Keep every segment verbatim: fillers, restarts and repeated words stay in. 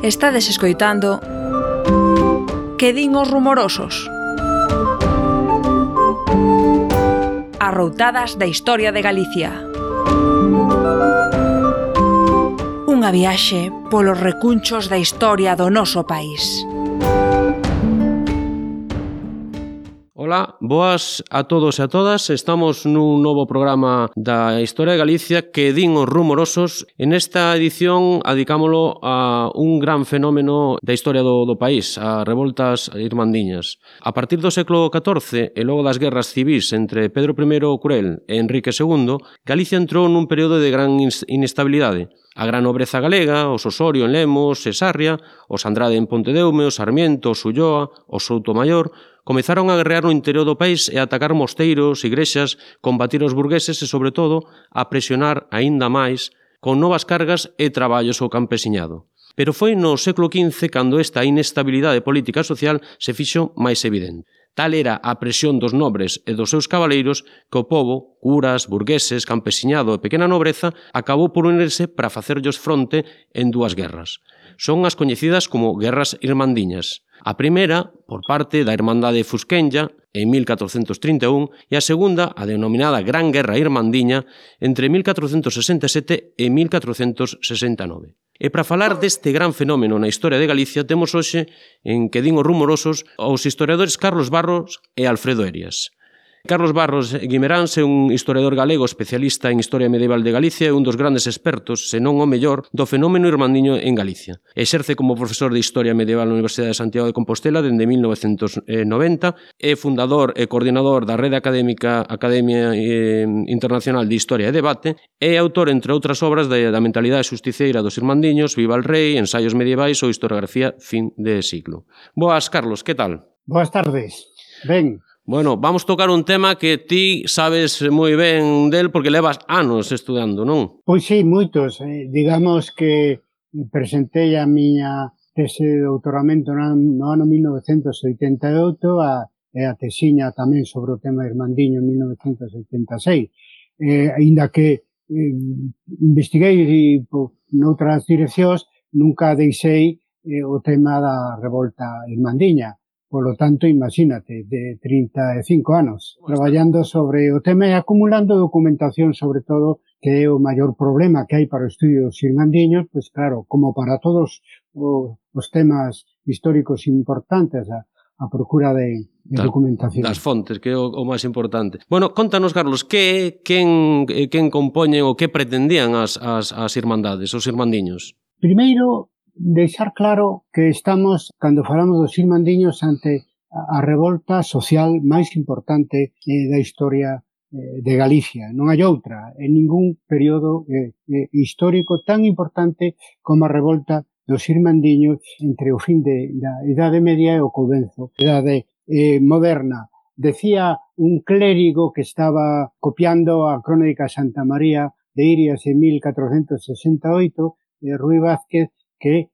Estades escoitando Que din os rumorosos? Arroutadas da historia de Galicia. Unha viaxe polos recunchos da historia do noso país. Ola, boas a todos e a todas. Estamos nun novo programa da Historia de Galicia que din os rumorosos. En esta edición adicámolo a un gran fenómeno da historia do, do país, as revoltas irmandiñas. A partir do século catorce e logo das guerras civís entre Pedro I o Cruel e Enrique segundo, Galicia entrou nun período de gran inestabilidade. A gran nobreza galega, os Osorio en Lemos e Sarria, os Andrade en Pontedeume, os Sarmiento, os Ulloa, os Soutomayor, comezaron a guerrear no interior do país e a atacar mosteiros, igrexas, combatir os burgueses e, sobre todo, a presionar aínda máis con novas cargas e traballos ao campesiñado. Pero foi no século quince cando esta inestabilidade política e social se fixo máis evidente. Tal era a presión dos nobres e dos seus cabaleiros que o pobo, curas, burgueses, campesiñado e pequena nobreza, acabou por unirse para facerllos fronte en dúas guerras. Son as coñecidas como Guerras Irmandiñas. A primeira, por parte da Irmandade Fusquenlla, en mil catrocentos trinta e un, e a segunda, a denominada Gran Guerra Irmandiña, entre mil catrocentos sesenta e sete e mil catrocentos sesenta e nove. E para falar deste gran fenómeno na historia de Galicia, temos hoxe, en Que din os rumorosos, os historiadores Carlos Barros e Alfredo Erias. Carlos Barros Guimeráns é un historiador galego especialista en historia medieval de Galicia e un dos grandes expertos, senón o mellor, do fenómeno irmandiño en Galicia. Exerce como profesor de Historia Medieval na Universidade de Santiago de Compostela dende mil novecentos noventa, é fundador e coordinador da Rede Académica Academia Internacional de Historia e Debate e autor, entre outras obras, da mentalidade xusticeira dos irmandiños, Viva el Rei, Ensaios medievais ou Historiografía fin de siglo. Boas, Carlos, que tal? Boas tardes. Ben. Bueno, vamos tocar un tema que ti sabes moi ben del porque levas anos estudando, non? Pois sí, moitos. Eh, digamos que presentei a miña tese de doutoramento no ano mil novecentos oitenta e oito a, e a tesiña tamén sobre o tema irmandiño en mil novecentos oitenta e seis. Eh, ainda que eh, investiguei po, noutras direccións, nunca deixei eh, o tema da revolta irmandiña. Por lo tanto, imagínate, de trinta e cinco anos, traballando sobre o tema e acumulando documentación, sobre todo, que é o maior problema que hai para o estudio dos irmandiños, pois claro, como para todos os, os temas históricos importantes, a, a procura de, de das, documentación. Das fontes, que é o, o máis importante. Bueno, contanos, Carlos, que quen, quen compoñen ou que pretendían as, as, as irmandades, os irmandiños? Primeiro, deixar claro que estamos, cando falamos dos irmandiños, ante a revolta social máis importante eh, da historia eh, de Galicia. Non hai outra en ningún período eh, eh, histórico tan importante como a revolta dos irmandiños entre o fin de, da Idade Media e o comezo da Idade eh, Moderna. Decía un clérigo que estaba copiando a Crónica de Santa María de Irias en mil catrocentos sesenta e oito, eh, Rui Vázquez, que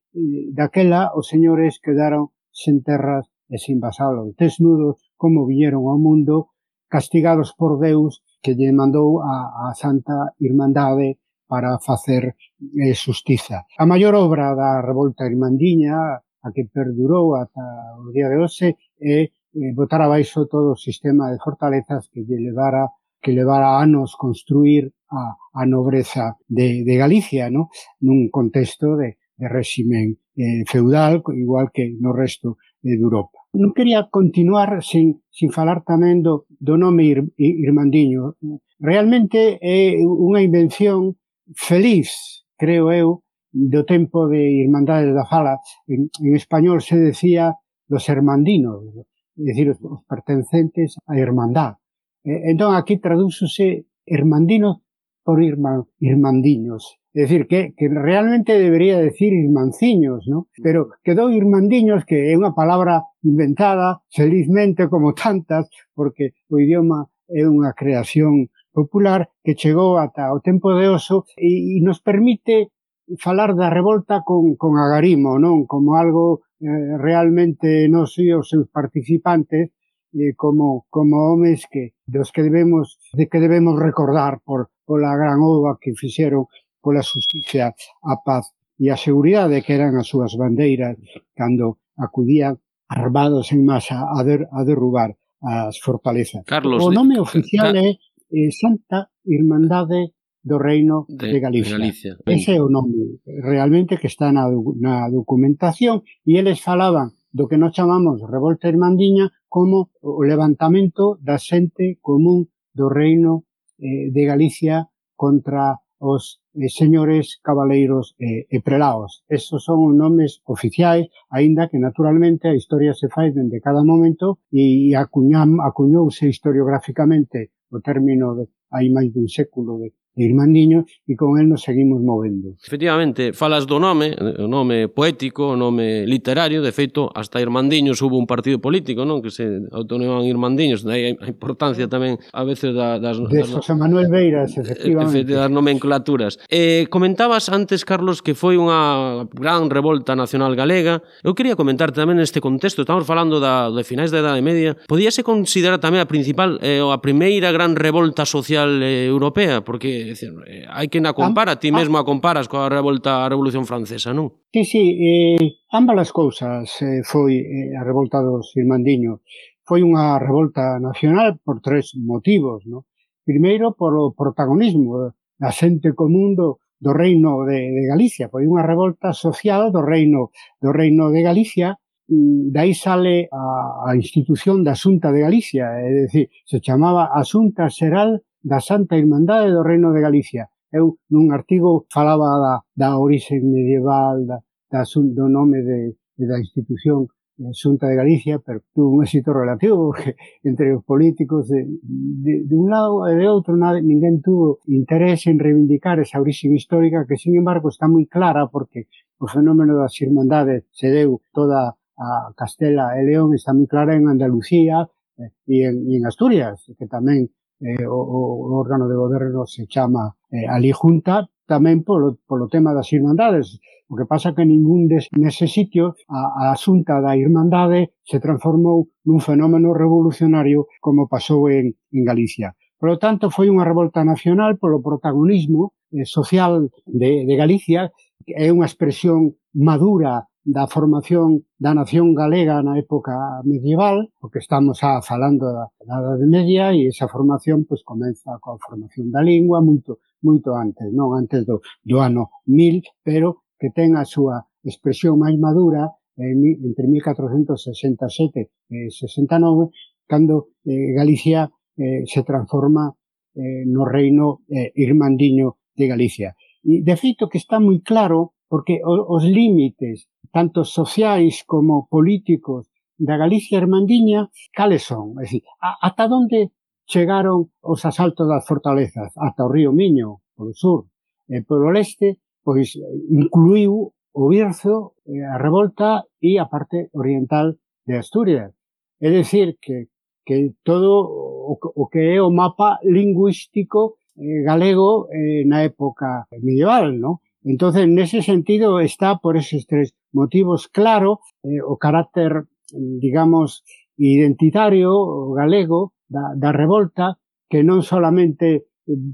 daquela os señores quedaron sen terras e sen vasalos, desnudos como viñeron ao mundo, castigados por Deus que lle mandou a, a Santa Irmandade para facer eh, xustiza. A maior obra da revolta irmandiña, a que perdurou ata o día de hoxe, é eh, botar abaixo todo o sistema de fortalezas que lle levara que levara anos construir a, a nobreza de, de Galicia, ¿no? Nun contexto de de réximen eh, feudal, igual que no resto eh, de Europa. Non quería continuar sin, sin falar tamén do, do nome ir, irmandiño. Realmente é unha invención feliz, creo eu, do tempo de Irmandades da Fala. En, en español se decía los hermandinos, é dicir, os pertencentes á irmandad. Eh, entón, aquí tradúxose hermandinos por irma, irmandiños. É dicir, que, que realmente debería decir irmanciños, ¿no? Pero quedou irmandiños, que é unha palabra inventada, felizmente, como tantas, porque o idioma é unha creación popular que chegou ata o tempo de Oso e, e nos permite falar da revolta con, con agarimo, non? Como algo eh, realmente non sei os seus participantes, eh, como, como homes que, dos que debemos, de que debemos recordar por, pola gran obra que fixeron pola xusticia, a paz e a seguridade que eran as súas bandeiras cando acudían armados en masa a, der, a derrubar as fortalezas. Carlos, o nome de, oficial ca, é eh, Santa Irmandade do Reino de, de Galicia. De Galicia. Ese é o nome realmente que está na, na documentación, e eles falaban do que nós chamamos revolta irmandiña como o levantamento da xente común do Reino eh, de Galicia contra os eh, señores cabaleiros eh, e prelaos. Esos son os nomes oficiais, aínda que naturalmente a historia se fai dende cada momento e acuñam, acuñouse historiográficamente o término de hai máis dun século de Irmandiño, e con el nos seguimos movendo. Efectivamente, falas do nome, o nome poético, o nome literario, de feito, hasta Irmandiños hubo un partido político, non, que se autonomaban Irmandiños, daí a importancia tamén a veces da, das... De José Manuel Beiras, efectivamente. Das nomenclaturas. Eh, comentabas antes, Carlos, que foi unha gran revolta nacional galega. Eu quería comentar tamén neste contexto, estamos falando da, de finais da Idade Media, podíase considerar tamén a principal, eh, a primeira gran revolta social eh, europea, porque decir, hai que na compara, ti mesmo a comparas coa revolta, a Revolución Francesa, non? Sí, sí, eh, ambas as cousas eh, foi eh, a revolta dos irmandiños. Foi unha revolta nacional por tres motivos, non? Primeiro, polo protagonismo da xente común do, do Reino de, de Galicia. Foi unha revolta social do Reino do Reino de Galicia. Dai sale a, a institución da Xunta de Galicia, é dicir, se chamaba a Xunta Xeral da Santa Irmandade do Reino de Galicia. Eu, nun artigo, falaba da, da orixe medieval, da, da, do nome de, de da institución eh, Xunta de Galicia, pero tuvo un éxito relativo, porque entre os políticos de, de, de un lado e de outro nada, ninguén tuvo interés en reivindicar esa orixe histórica, que, sin embargo, está moi clara, porque o fenómeno das irmandades se deu toda a Castela e León, está moi clara en Andalucía eh, e, en, e en Asturias, que tamén Eh, o, o órgano de goberno se chama eh, ali Junta, tamén polo, polo tema das irmandades. O que pasa que ningún des, nese sitio a, a Xunta da Irmandade se transformou nun fenómeno revolucionario como pasou en, en Galicia. Por lo tanto, foi unha revolta nacional polo protagonismo eh, social de, de Galicia, que é unha expresión madura da formación da nación galega na época medieval, porque estamos a falando da Idade Media, e esa formación pois comeza coa formación da lingua moito moito antes, non antes do, do ano mil, pero que ten a súa expresión máis madura en, entre mil catrocentos sesenta e sete e sesenta e nove, cando eh, Galicia eh, se transforma eh, no reino eh, irmandiño de Galicia. E de feito que está moi claro, porque os límites, tanto sociais como políticos, da Galicia irmandiña, cales son? É dicir, ata onde chegaron os asaltos das fortalezas? Ata o río Miño, polo sur. E polo leste, pois, incluiu o Bierzo, a revolta e a parte oriental de Asturias. É dicir, que, que todo o, o que é o mapa lingüístico eh, galego eh, na época medieval, non? Entonces, nese sentido, está por eses tres motivos claro eh, o carácter, digamos, identitario galego da, da revolta, que non solamente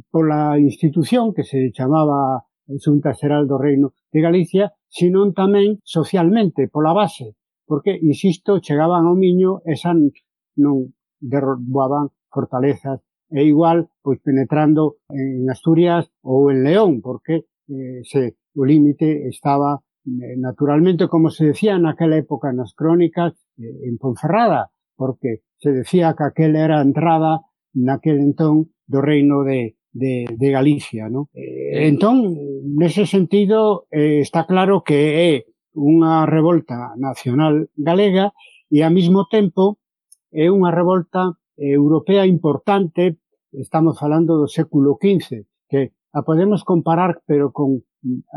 pola institución que se chamaba Xunta Xeral do Reino de Galicia, sino tamén socialmente, pola base, porque, insisto, chegaban ao Miño e xa non derrubaban fortalezas, e igual, pois, penetrando en Asturias ou en León, porque Eh, se o límite estaba eh, naturalmente, como se decía naquela época nas crónicas, eh, en Ponferrada, porque se decía que aquela era a entrada naquel entón do reino de, de, de Galicia, ¿no? Eh, entón, nese sentido, eh, está claro que é unha revolta nacional galega e, ao mesmo tempo, é unha revolta europea importante. Estamos falando do século quince, que a podemos comparar, pero con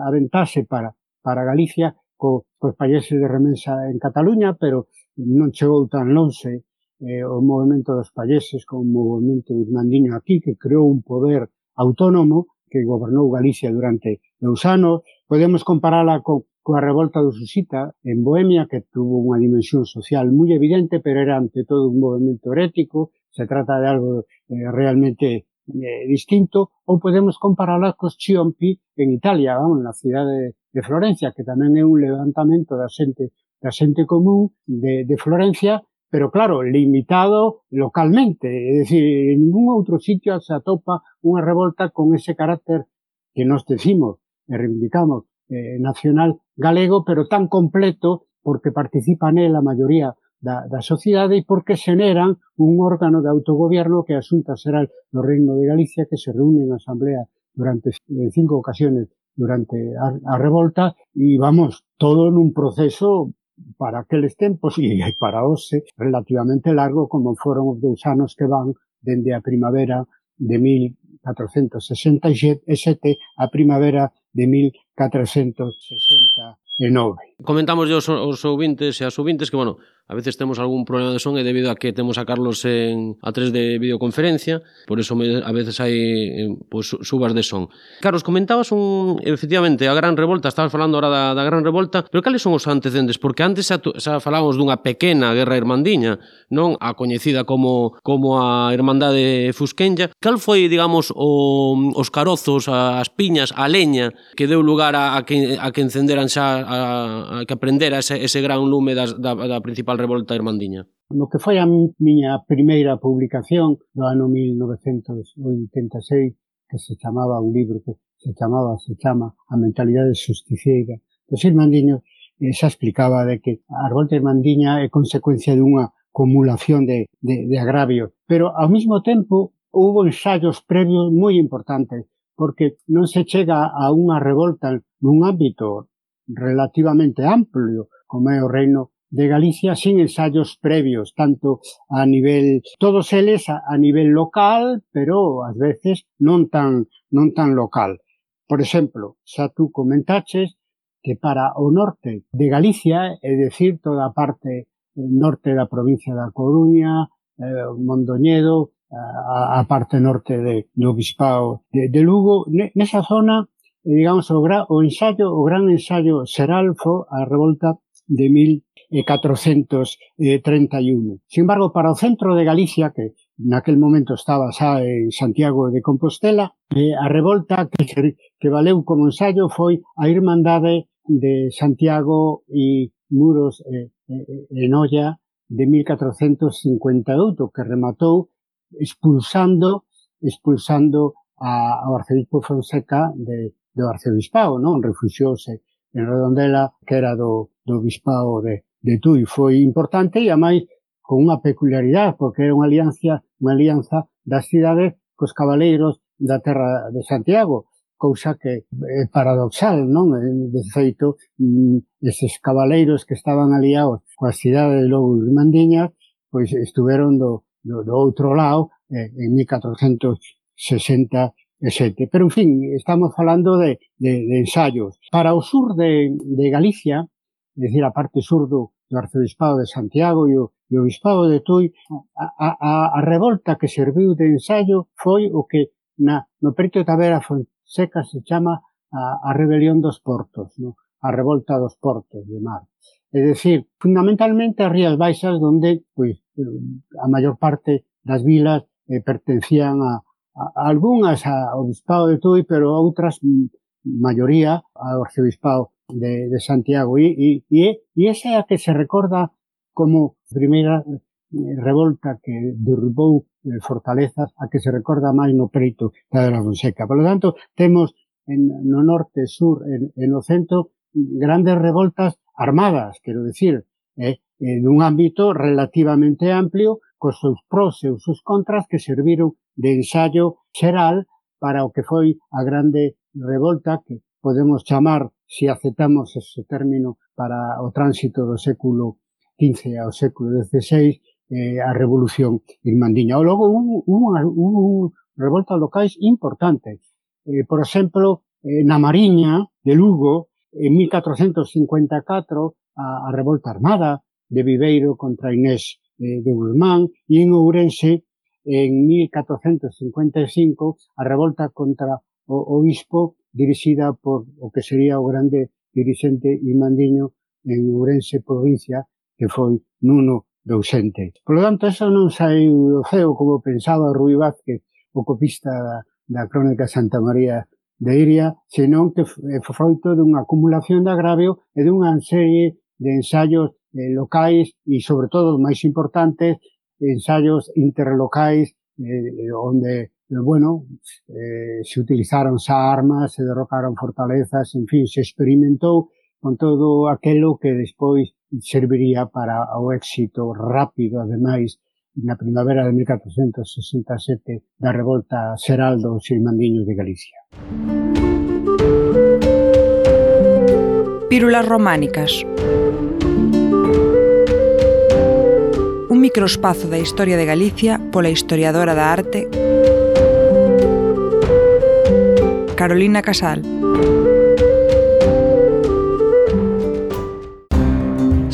a ventaxe para, para Galicia, co, cos países de remensa en Cataluña, pero non chegou tan lonxe eh, o movimento dos países como o movimento irmandiño aquí, que creou un poder autónomo que gobernou Galicia durante dous anos. Podemos comparala co, coa revolta do Susita en Bohemia, que tuvo unha dimensión social moi evidente, pero era ante todo un movimento herético. Se trata de algo eh, realmente eh, distinto, ou podemos comparala cos Ciompi en Italia, vamos, na cidade de Florencia, que tamén é un levantamento da xente, da xente común de, de Florencia, pero claro, limitado localmente, é dicir, en ningún outro sitio se atopa unha revolta con ese carácter que nos decimos e reivindicamos eh, nacional galego, pero tan completo porque participa nela a maioría da, da sociedade e porque xeneran un órgano de autogobierno que é a Xunta Xeral do Reino de Galicia, que se reúne en asamblea durante en cinco ocasiones durante a, a revolta e vamos, todo nun proceso para aqueles tempos e para hoxe relativamente largo como foron os dous anos que van dende a primavera de mil catrocentos sesenta e sete a primavera de mil catrocentos sesenta e nove. Comentamos aos, aos ouvintes e as ouvintes que, bueno, a veces temos algún problema de son e debido a que temos a Carlos en a través de videoconferencia, por eso me, a veces hai pues, subas de son. Carlos, comentabas un, efectivamente, a Gran Revolta, estabas falando ahora da, da Gran Revolta, pero cales son os antecedentes? Porque antes xa, xa falábamos dunha pequena guerra irmandiña, non? A coñecida como, como a Irmandade Fusquenlla. Cal foi, digamos, o, os carozos, as piñas, a leña que deu lugar a, a, que, a que encenderan xa, a, a que aprendera ese, ese gran lume das, da, da principal revolta irmandiña? No que foi a miña primeira publicación do ano mil novecentos oitenta e seis, que se chamaba un libro que se chamaba, se chama A mentalidade justiciera dos irmandiños, xa explicaba de que a revolta irmandiña é consecuencia dunha acumulación de, de, de agravios, pero ao mesmo tempo houve ensaios previos moi importantes, porque non se chega a unha revolta nun ámbito relativamente amplio como é o Reino de Galicia sin ensaios previos, tanto a nivel, todos eles a, a nivel local, pero ás veces non tan, non tan local. Por exemplo, xa tú comentaches que para o norte de Galicia, é dicir, toda a parte norte da provincia da Coruña, eh, Mondoñedo, a, a parte norte de, do Bispao de, de Lugo, nesa zona, digamos, o, gra, o ensaio, o gran ensayo xeral foi a revolta de mil catrocentos treinta e un. Sin embargo, para o centro de Galicia, que naquel momento estaba xa en Santiago de Compostela, eh, a revolta que, que valeu como ensayo foi a Irmandade de Santiago e Muros e eh, eh, Noia de mil catrocentos cincuenta e oito, que rematou expulsando expulsando a, ao arcebispo Fonseca de, do arcebispado, non? Refuxiouse en Redondela, que era do, do bispado de, de Tui. Foi importante e, ademais, con unha peculiaridade, porque era unha alianza, unha alianza das cidades cos cabaleiros da terra de Santiago, cousa que é paradoxal, non? De feito, eses cabaleiros que estaban aliados coas cidades de Lobo e Irmandiñas, pois estuveron do, do, do outro lado eh, en mil catrocentos sesenta e sete. Pero, en fin, estamos falando de, de, de ensayos. Para o sur de, de Galicia, é dicir, a parte sur do, do arcebispado de Santiago e o, e o bispado de Tui, a, a, a revolta que serviu de ensayo foi o que na, no preto da Vera Fonseca se chama a, a rebelión dos portos, no? A revolta dos portos de mar. É dicir, fundamentalmente as Rías Baixas, onde pois, a maior parte das vilas eh, pertencían a algunhas ao bispado de Tui, pero outras, maioría, ao arcebispado de, de Santiago. E, e, e esa é a que se recorda como primeira revolta que derrubou fortalezas, a que se recorda máis no preito da Vera Fonseca. Por lo tanto, temos en, no norte, sur, en, en no centro, grandes revoltas armadas, quero dicir, eh, en un ámbito relativamente amplio, cos seus pros e os seus contras que serviron de ensayo xeral para o que foi a grande revolta que podemos chamar, se aceptamos ese término, para o tránsito do século quince ao século dieciséis, eh, a Revolución Irmandiña. Ou logo hubo, hubo, hubo revoltas locais importantes. Eh, por exemplo, eh, na Mariña de Lugo, en mil catrocentos cincuenta e catro, a, a revolta armada de Viveiro contra Inés de Guzmán, e en Ourense, en mil catrocentos cincuenta e cinco, a revolta contra o obispo dirixida por o que sería o grande dirixente irmandiño en Ourense provincia, que foi Nuno Dousente. Por lo tanto, eso non saiu do ceo como pensaba Rui Vázquez, o copista da, da Crónica Santa María de Iria, senón que é froito dunha acumulación de agravio e dunha serie de ensaios eh, locais e, sobre todo, máis importantes, ensaios interlocais eh, onde, eh, bueno, eh, se utilizaron armas, se derrocaron fortalezas, en fin, se experimentou con todo aquelo que despois serviría para o éxito rápido, ademais, na primavera de mil catrocentos sesenta e sete da revolta xeral dos xilmandiños de Galicia. Pílulas románicas. Un microespazo da historia de Galicia pola historiadora da arte Carolina Casal.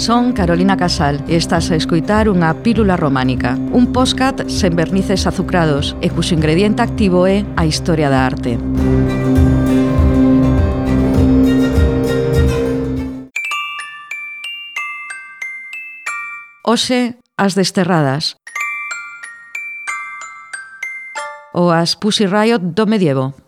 Son Carolina Casal e estás a escoitar unha pílula románica, un podcast sen vernices azucrados e cuxo ingrediente activo é a historia da arte. Hoxe, as desterradas. Ou as Pussy Riot do medievo.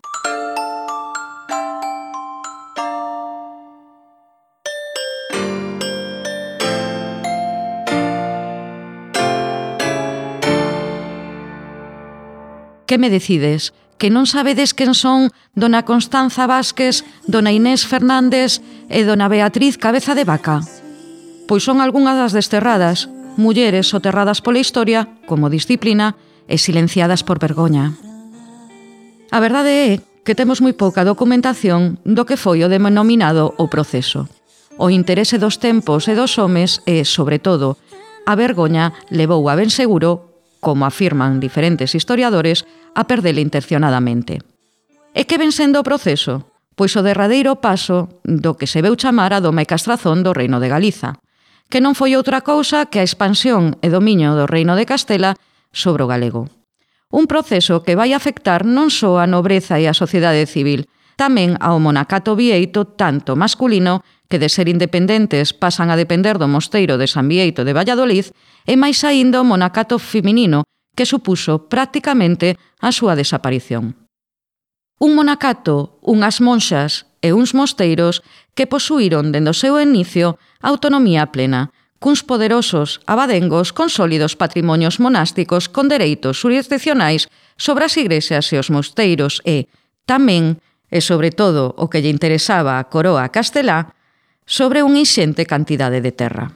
Que me decides? Que non sabedes quen son dona Constanza Vázquez, dona Inés Fernández e dona Beatriz Cabeza de Vaca? Pois son algunhas das desterradas, mulleres soterradas pola historia, como disciplina, e silenciadas por vergoña. A verdade é que temos moi pouca documentación do que foi o denominado o proceso. O interese dos tempos e dos homes e, sobre todo, a vergoña levou a ben seguro, como afirman diferentes historiadores, a perdela intencionadamente. E que ven sendo o proceso? Pois o derradeiro paso do que se veu chamar a doma e castrazón do Reino de Galiza, que non foi outra cousa que a expansión e dominio do Reino de Castela sobre o galego. Un proceso que vai afectar non só a nobreza e a sociedade civil, tamén ao monacato bieito tanto masculino, que de ser independentes pasan a depender do mosteiro de San Bieito de Valladolid, e máis aínda o monacato feminino, que supuso prácticamente a súa desaparición. Un monacato, unhas monxas e uns mosteiros que posuíron dende o seu inicio autonomía plena, cuns poderosos abadengos con sólidos patrimonios monásticos con dereitos jurisdiccionais sobre as igrexas e os mosteiros e, tamén, e sobre todo o que lle interesaba a coroa castelá, sobre unha inxente cantidade de terra.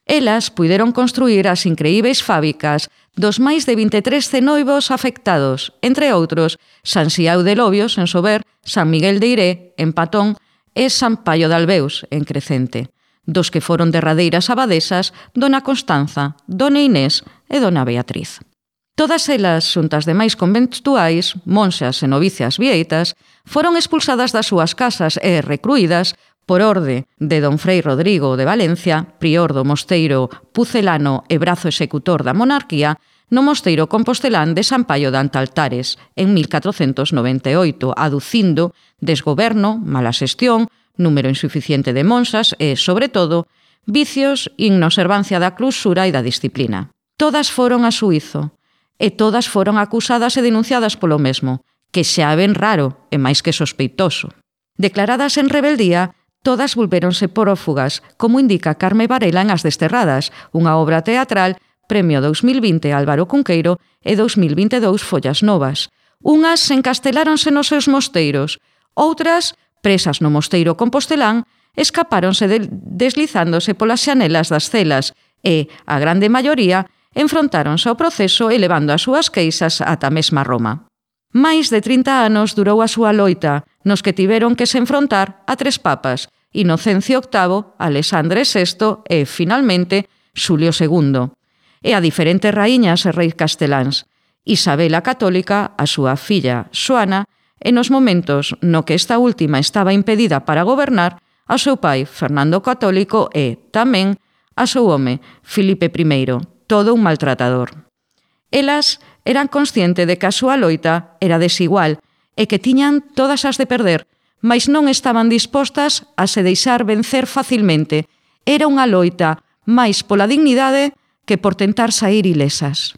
Elas puideron construir as increíveis fábricas dos máis de vinte e tres cenoivos afectados, entre outros, San Xiao de Lobios, en Sober, San Miguel de Iré, en Patón, e San Paio de Albeus, en Crecente, dos que foron derradeiras abadesas dona Constanza, dona Inés e dona Beatriz. Todas elas, xuntas demais conventuais, monxas e novicias vieitas, foron expulsadas das súas casas e recruídas por orde de don Frei Rodrigo de Valencia, prior do mosteiro pucelano e brazo executor da monarquía, no mosteiro compostelán de San Paio de Antaltares, en mil catrocentos noventa e oito, aducindo desgoberno, mala xestión, número insuficiente de monxas e, sobre todo, vicios e inobservancia da clausura e da disciplina. Todas foron a xuízo, e todas foron acusadas e denunciadas polo mesmo, que xa é ben raro e máis que sospeitoso. Declaradas en rebeldía, todas volvéronse prófugas, como indica Carme Varela en As Desterradas, unha obra teatral, Premio dous mil vinte Álvaro Cunqueiro e dous mil vinte e dous Follas Novas. Unhas encasteláronse nos seus mosteiros, outras, presas no mosteiro compostelán, escapáronse de, deslizándose polas xanelas das celas e, a grande maioría, enfrontáronse ao proceso elevando as súas queixas ata a mesma Roma. Máis de trinta anos durou a súa loita, nos que tiveron que se enfrontar a tres papas, Inocencio octavo, Alexandre sexto e, finalmente, Xulio segundo, e a diferentes raíñas e reis casteláns, Isabel a Católica, a súa filla Xoana, e nos momentos no que esta última estaba impedida para gobernar, ao seu pai, Fernando Católico, e, tamén, a seu home, Filipe primeiro, todo un maltratador. Elas eran consciente de que a súa loita era desigual e que tiñan todas as de perder, mais non estaban dispostas a se deixar vencer facilmente. Era unha loita máis pola dignidade que por tentar sair ilesas.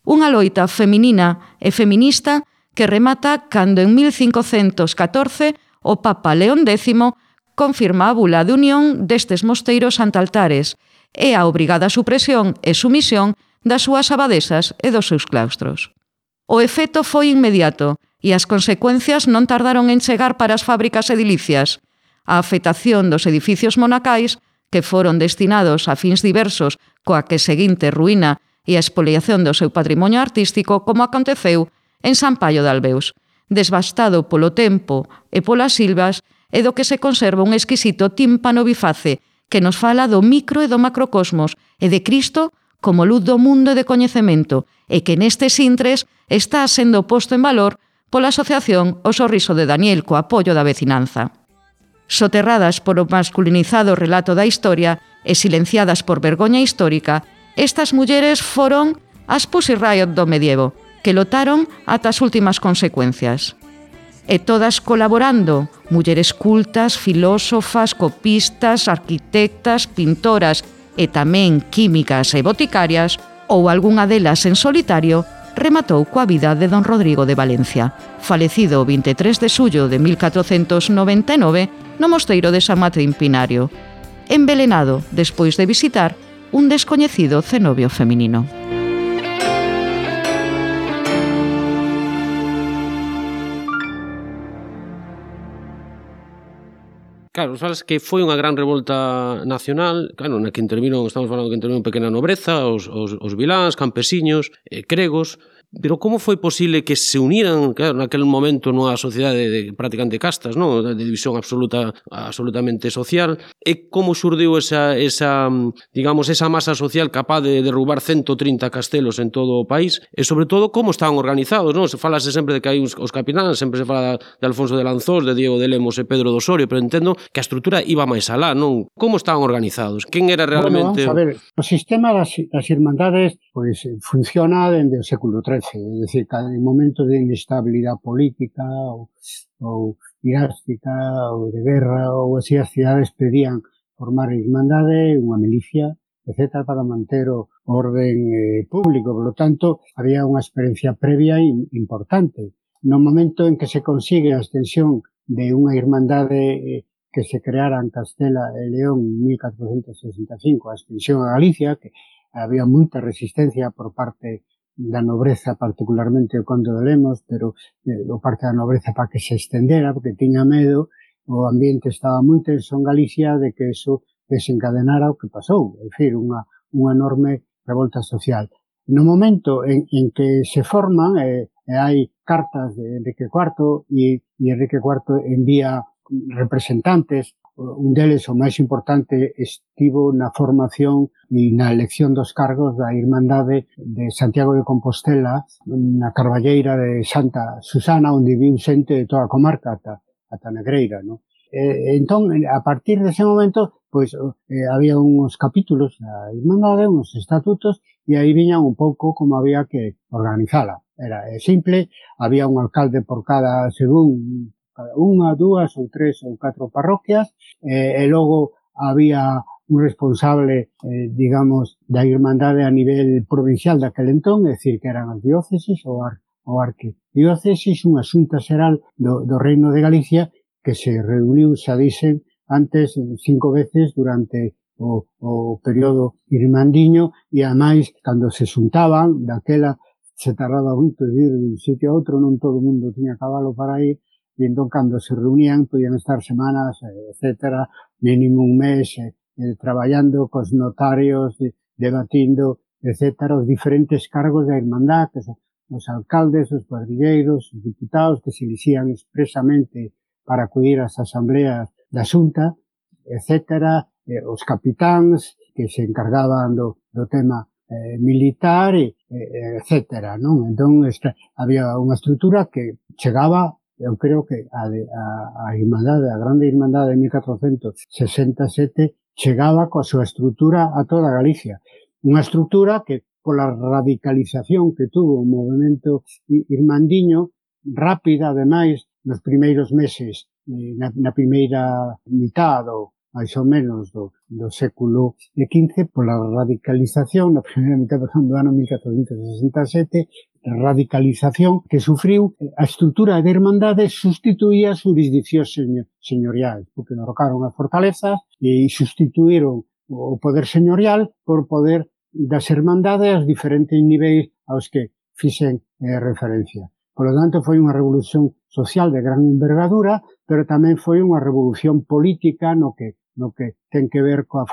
Unha loita feminina e feminista que remata cando en mil cincocentos catorce o Papa León décimo confirma a bula de unión destes mosteiros antaltares e a obrigada supresión e sumisión das súas abadesas e dos seus claustros. O efecto foi inmediato e as consecuencias non tardaron en chegar para as fábricas edilicias. A afectación dos edificios monacais, que foron destinados a fins diversos coa que seguinte ruína e a expoliación do seu patrimonio artístico, como aconteceu en San Paio de Albeus, desbastado polo tempo e polas silvas, e do que se conserva un exquisito tímpano biface que nos fala do micro e do macrocosmos e de Cristo como luz do mundo e de coñecemento, e que nestes intres está sendo posto en valor pola asociación O Sorriso de Daniel co apoio da vecinanza. Soterradas por o masculinizado relato da historia e silenciadas por vergoña histórica, estas mulleres foron as Pussy Riot do medievo, que lotaron ata as últimas consecuencias. E todas colaborando, mulleres cultas, filósofas, copistas, arquitectas, pintoras e tamén químicas e boticarias, ou algunha delas en solitario, rematou coa vida de don Rodrigo de Valencia, falecido o vinte e tres de xullo de mil catrocentos noventa e nove no mosteiro de San Martín Pinario, envelenado despois de visitar un descoñecido cenobio feminino. Claro, sabes que foi unha gran revolta nacional, claro, na que interviron, estamos falando que interviron pequena nobreza, os, os, os viláns, campesiños, eh, cregos, pero como foi posible que se uniran, claro, naquele momento nunha sociedade de prácticamente castas, non? De división absoluta, absolutamente social, e como xurdiu esa, esa, digamos, esa masa social capaz de derrubar ciento trinta castelos en todo o país, e sobre todo como estaban organizados, non? Se falase sempre de que hai os, os capitáns, sempre se fala de Alfonso de Lanzós, de Diego de Lemos e Pedro do Osorio, pero entendo que a estrutura iba máis alá, non? Como estaban organizados? Quen era realmente... Bueno, vamos a ver, o sistema das, das irmandades pois, funciona dende o século trece, é dicir, cada momento de inestabilidade política ou, ou dinástica ou de guerra ou así, as cidades pedían formar irmandade, unha milicia, etcétera, para manter o orden eh, público. Por lo tanto, había unha experiencia previa importante. No momento en que se consigue a extensión de unha irmandade eh, que se creara en Castela e León en mil catrocentos sesenta e cinco, a extensión a Galicia, que había moita resistencia por parte da nobreza, particularmente o conde de Lemos, pero eh, o parte da nobreza para que se estendera, porque tiña medo, o ambiente estaba moi tenso en Galicia de que eso desencadenara o que pasou, é dicir, unha, unha enorme revolta social. No momento en, en que se forman, eh, e hai cartas de Enrique cuarto, e, e Enrique cuarto envía representantes, un deles, o máis importante, estivo na formación e na elección dos cargos da Irmandade de Santiago de Compostela, na Carballeira de Santa Susana, onde viu xente de toda a comarca, ata, ata Negreira, non? E, entón, a partir dese momento, pois, eh, había uns capítulos da Irmandade, uns estatutos, e aí viñan un pouco como había que organizala. Era simple, había un alcalde por cada, según unha, dúas ou tres ou catro parroquias, eh, e logo había un responsable, eh, digamos, da Irmandade a nivel provincial daquel entón, é dicir, que eran as dióceses ou, ar, ou arquidióceses, unha xunta xeral do, do Reino de Galicia que se reuniu, xa dixen, antes cinco veces durante o, o período irmandiño, e ademais, cando se xuntaban, daquela se tardaba moito de ir de un sitio a outro, non todo o mundo tiña cabalo para ir, e entón, cando se reunían, podían estar semanas, etcétera, mínimo un mes, eh, eh, traballando cos notarios, eh, debatindo, etcétera, os diferentes cargos da Irmandad, que son os alcaldes, os cuadrigueiros, os diputados, que se elixían expresamente para acudir ás asambleas da Xunta, etcétera, eh, os capitáns, que se encargaban do, do tema eh, militar, e, eh, etcétera, non? Entón, esta, había unha estrutura que chegaba, eu creo que a, de, a, a Irmandade, a Grande Irmandade de mil catrocentos sesenta e sete, chegaba coa súa estrutura a toda Galicia. Unha estrutura que, pola radicalización que tuvo o movimento irmandiño, rápida, ademais, nos primeiros meses, na, na primeira mitad, ou máis ou menos, do, do século quince, pola radicalización, na primeira mitad, por exemplo, do ano mil catrocentos sesenta e sete, radicalización que sufriu a estrutura de irmandade sustituía as jurisdiccións señoriais, porque derrocaron as fortalezas e sustituíron o poder señorial por poder das irmandades aos diferentes niveis aos que fixen eh, referencia. Por lo tanto, foi unha revolución social de gran envergadura, pero tamén foi unha revolución política no que, no que ten que ver coa,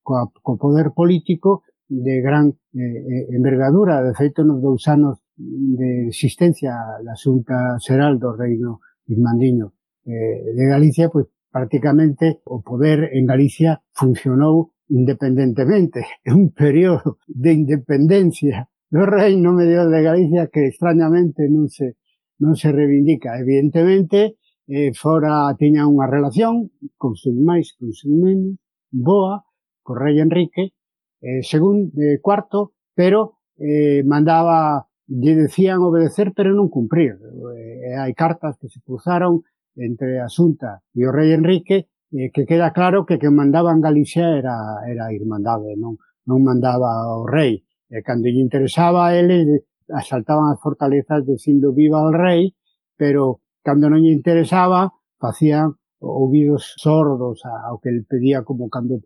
coa, co poder político de gran eh, envergadura. De feito, nos dous anos de existencia da Xunta Xeral do Reino Irmandiño eh, de Galicia, pois prácticamente o poder en Galicia funcionou independentemente. É un período de independencia do Reino Medio de Galicia que extrañamente non se, non se reivindica. Evidentemente, eh, fora tiña unha relación con seus máis, con seus menos, boa, co rei Enrique, eh, según eh, cuarto, pero eh, mandaba, lle decían obedecer, pero non cumprir. Eh, hai cartas que se cruzaron entre a Xunta e o rei Enrique, eh, que queda claro que quen mandaba en Galicia era, era a Irmandade, non, non mandaba o rei. E cando lle interesaba a eles, asaltaban as fortalezas dicindo viva o rei, pero cando non lle interesaba, facían ouvidos sordos ao que ele pedía, como cando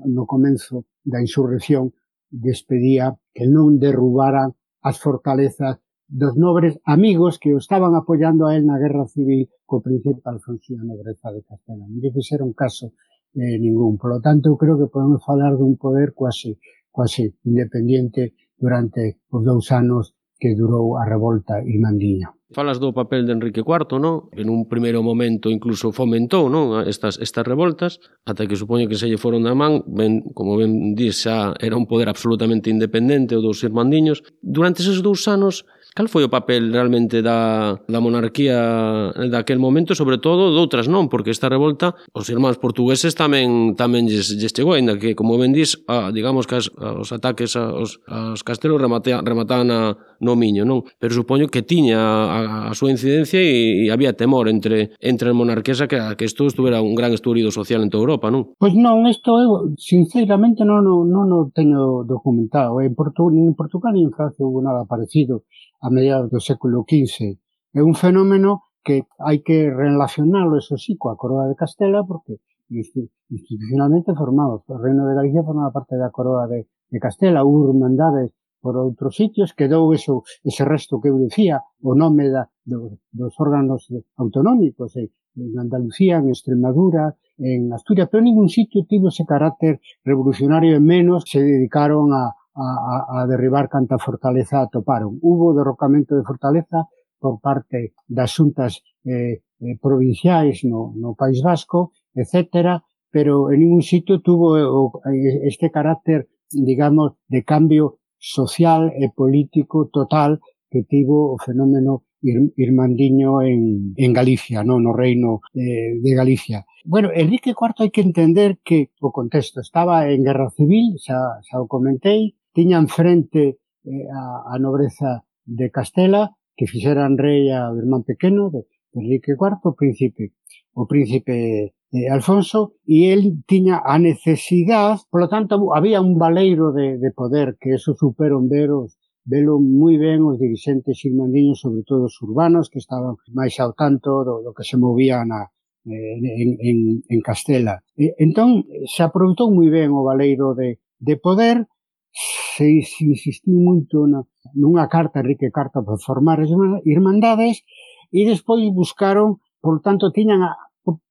no comenzo da insurrección despedía que non derrubaran as fortalezas dos nobres amigos que o estaban apoiando a él na guerra civil co príncipe Alfonso e a nobreza de Castela. Non lle fixeron caso eh, ningún. Por lo tanto, eu creo que podemos falar dun poder quase quase independiente durante os dous anos que durou a revolta irmandiña. Falas do papel de Enrique cuarto, non? En un primeiro momento incluso fomentou, non, estas estas revoltas, ata que supoño que se lle foron da man, ben, como ben dís, xa era un poder absolutamente independente o dos irmandiños. Durante eses dous anos, cal foi o papel realmente da, da monarquía daquel momento, sobre todo doutras non, porque esta revolta os irmáns portugueses tamén tamén lles, lles chegou, ainda que, como ben dís, a, digamos que as, os ataques aos, aos castelos remataban, remataban a, no Miño, non? Pero supoño que tiña a, a súa incidencia e, e había temor entre entre as monarquías a que, a que isto estuvera un gran estudido social en toda Europa, non? Pois non, isto eu sinceramente non, non, non o teño documentado. En, Portu, en Portugal e en Francia hubo nada parecido a mediados do século quince. É un fenómeno que hai que relacionarlo, eso sí, coa Coroa de Castela, porque institucionalmente formados. O Reino de Galicia formaba parte da Coroa de, de Castela, hubo irmandades por outros sitios, quedou eso, ese resto que eu decía, o nome da, do, dos órganos autonómicos, en, en Andalucía, en Extremadura, en Asturias, pero en ningún sitio tivo ese carácter revolucionario, e menos se dedicaron a A, a derribar canta fortaleza atoparon. Hubo derrocamento de fortaleza por parte das xuntas eh, eh, provinciais no, no País Vasco, etcétera, pero en ningún sitio tuvo o, este carácter, digamos, de cambio social e político total que tivo o fenómeno ir, irmandiño en, en Galicia, no, no Reino eh, de Galicia. Bueno, Enrique cuarto hai que entender que o contexto estaba en guerra civil, xa, xa o comentei, tiñan frente eh, a, a nobreza de Castela, que fixeran rei ao irmán pequeno de Enrique cuarto, o príncipe, o príncipe eh, Alfonso, e el tiña a necesidade, polo tanto, había un baleiro de, de poder, que eso superon veros, velo moi ben os dirigentes irmandiños, sobre todo os urbanos, que estaban máis ao tanto do, do que se movía na, eh, en, en, en Castela. E, entón, se aproveitou moi ben o baleiro de, de poder, se, se insistiu moito na, nunha carta Enrique cuarto para formar as irmandades, e despois buscaron, por tanto, tiñan a,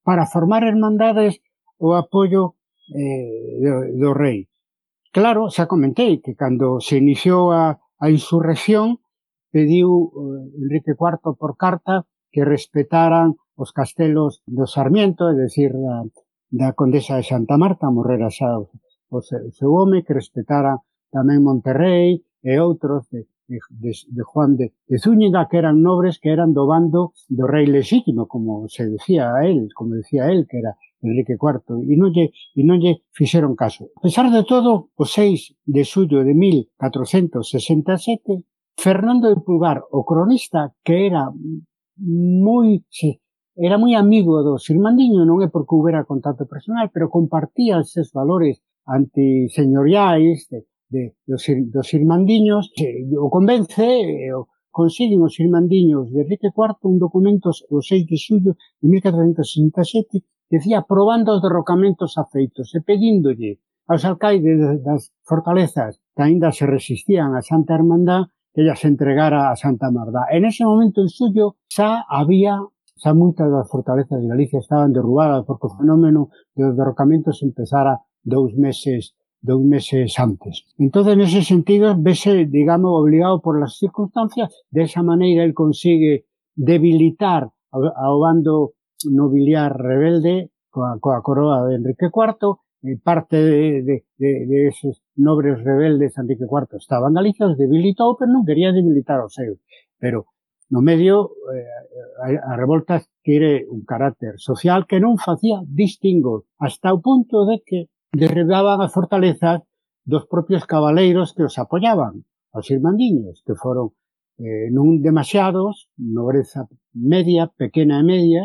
para formar irmandades o apoio eh, do, do rei. Claro, xa comentei que cando se iniciou a, a insurrección, pediu eh, Enrique cuarto por carta que respetaran os castelos do Sarmiento, é dicir, da, da condesa de Santa Marta, morrera xa o, o seu home, que respetaran tamén Monterrey e outros de, de, de Juan de, de Zúñiga, que eran nobres que eran do bando do rei lexítimo, como se decía a él, como decía él, que era Enrique cuarto, e non lle, e non lle fixeron caso. A pesar de todo, o seis de xullo de mil catrocentos sesenta e sete, Fernando de Pulgar, o cronista, que era moi, era moi amigo dos irmandiños, non é porque houbera contacto personal, pero compartía eses valores antiseñoriais de, de, dos, dos irmandiños, o convence, o, consiguen os irmandiños de Enrique cuarto un documento o seis de xullo de mil catrocentos sesenta e sete que decía aprobando os derrocamentos afeitos e pedíndolle aos alcaides das fortalezas que aínda se resistían a Santa Hermandad que ella se entregara a Santa Mardá. En ese momento, en xullo, xa había, xa moitas das fortalezas de Galicia estaban derrubadas porque o fenómeno dos derrocamentos empezara dous meses dous meses antes. Entón, en ese sentido, vese, digamos, obligado por las circunstancias. De esa maneira, él consigue debilitar ao bando nobiliar rebelde coa, coa coroa de Enrique cuarto. Eh, parte de, de, de, de esos nobres rebeldes Enrique cuarto estaba en Galicia, os debilitou, pero non quería debilitar os seus. Pero, no medio, eh, a, a revolta adquire un carácter social que non facía distingos, hasta o punto de que derribaban as fortalezas dos propios cabaleiros que os apoyaban, os irmandiños, que foron eh, non demasiados, nobreza media, pequena e media,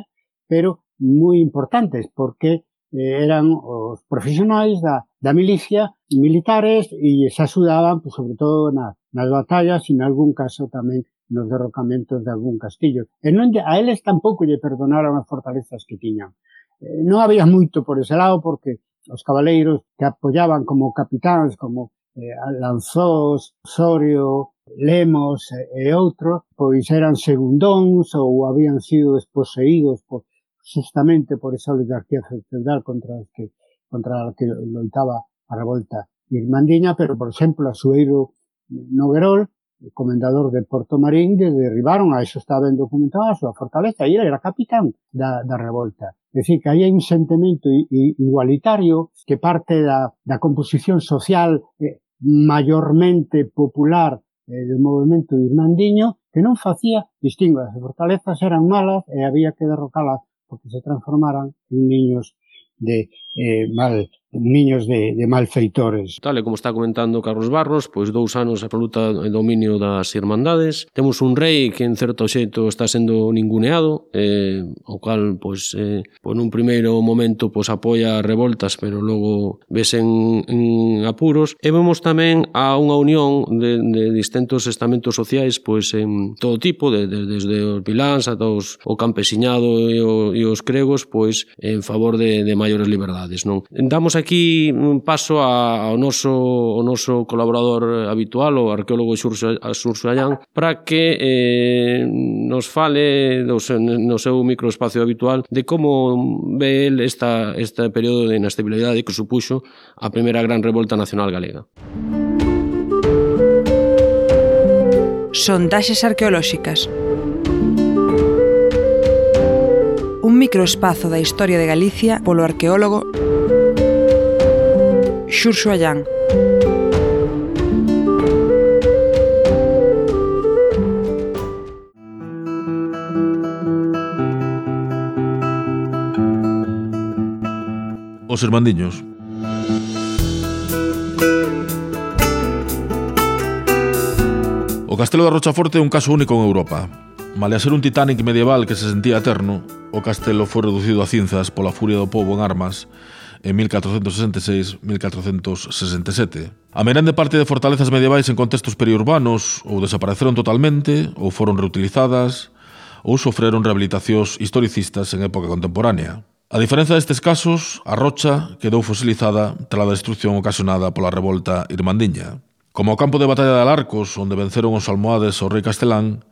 pero moi importantes, porque eh, eran os profesionais da, da milicia, militares, e se axudaban, pues, sobre todo, na, nas batallas e, en algún caso, tamén nos derrocamentos de algún castillo. E non, a eles tampouco lle perdonaron as fortalezas que tiñan. Eh, non había moito por ese lado, porque os cabaleiros que apoyaban como capitáns, como eh, Lanzós, Osorio, Lemos e, e outros, pois eran segundóns ou habían sido desposeídos por, justamente por esa oligarquía feudal contra os que contra a que loitaba a revolta irmandiña, pero, por exemplo, a Sueiro Noguerol, o comendador de Porto Marín, de derribaron, a eso estaba ben documentado, a súa fortaleza, e ele era capitán da, da revolta. É dicir, que aí hai un sentimento igualitario que parte da, da composición social eh, maiormente popular eh, do movimento irmandiño, que non facía distingo. As fortalezas eran malas e había que derrocalas porque se transformaran en niños de eh, mal niños de, de malfeitores. Tal e como está comentando Carlos Barros, pois dous anos a absoluta dominio das irmandades. Temos un rei que en certo xeito está sendo ninguneado, eh, o cal, pois, eh, pois nun primeiro momento pois apoia revoltas, pero logo ves en, en apuros. E vemos tamén a unha unión de, de distintos estamentos sociais, pois en todo tipo, de, de, desde os viláns ata os, o campesiñado e, o, e os cregos, pois en favor de, de maiores liberdades, non? Damos aquí un paso ao noso, o noso colaborador habitual, o arqueólogo Xurxo, Xurxo Allán, para que eh, nos fale do seu, no seu microespacio habitual de como ve el esta, este período de inestabilidade que supuxo a primeira gran revolta nacional galega. Sondaxes arqueolóxicas. Un microespazo da historia de Galicia polo arqueólogo Xurxo Allán. Os irmandiños. O castelo de Rochaforte é un caso único en Europa. Malia ser un Titanic medieval que se sentía eterno, o castelo foi reducido a cinzas pola furia do pobo en armas en mil catrocentos sesenta e seis a mil catrocentos sesenta e sete. A meirande parte de fortalezas medievais en contextos periurbanos ou desapareceron totalmente, ou foron reutilizadas, ou sofreron rehabilitacións historicistas en época contemporánea. A diferenza destes casos, a rocha quedou fosilizada tras a destrucción ocasionada pola revolta irmandiña. Como o campo de batalla de Alarcos, onde venceron os almohades ao rei castelán,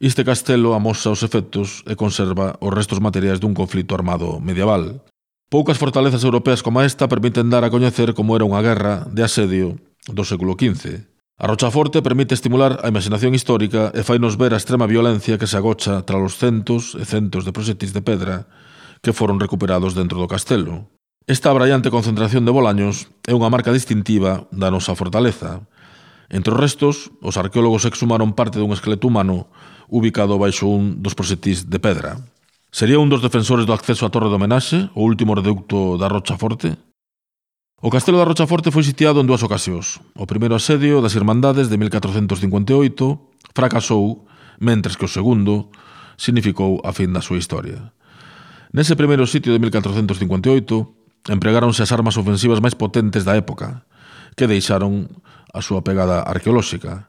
este castelo amosa os efectos e conserva os restos materiais dun conflito armado medieval. Poucas fortalezas europeas como esta permiten dar a coñecer como era unha guerra de asedio do século quince. A Rochaforte permite estimular a imaginación histórica e fainos ver a extrema violencia que se agocha tras os centos e centos de proxectis de pedra que foron recuperados dentro do castelo. Esta abraiante concentración de bolaños é unha marca distintiva da nosa fortaleza. Entre os restos, os arqueólogos exhumaron parte dun esqueleto humano ubicado baixo un dos proxectis de pedra. Sería un dos defensores do acceso á Torre de Homenaxe, o último reducto da Rochaforte? O castelo da Rochaforte foi sitiado en dúas ocasións. O primeiro asedio das Irmandades de mil catrocentos cincuenta e oito fracasou, mentres que o segundo significou a fin da súa historia. Nese primeiro sitio de mil catrocentos cincuenta e oito empregáronse as armas ofensivas máis potentes da época, que deixaron a súa pegada arqueolóxica.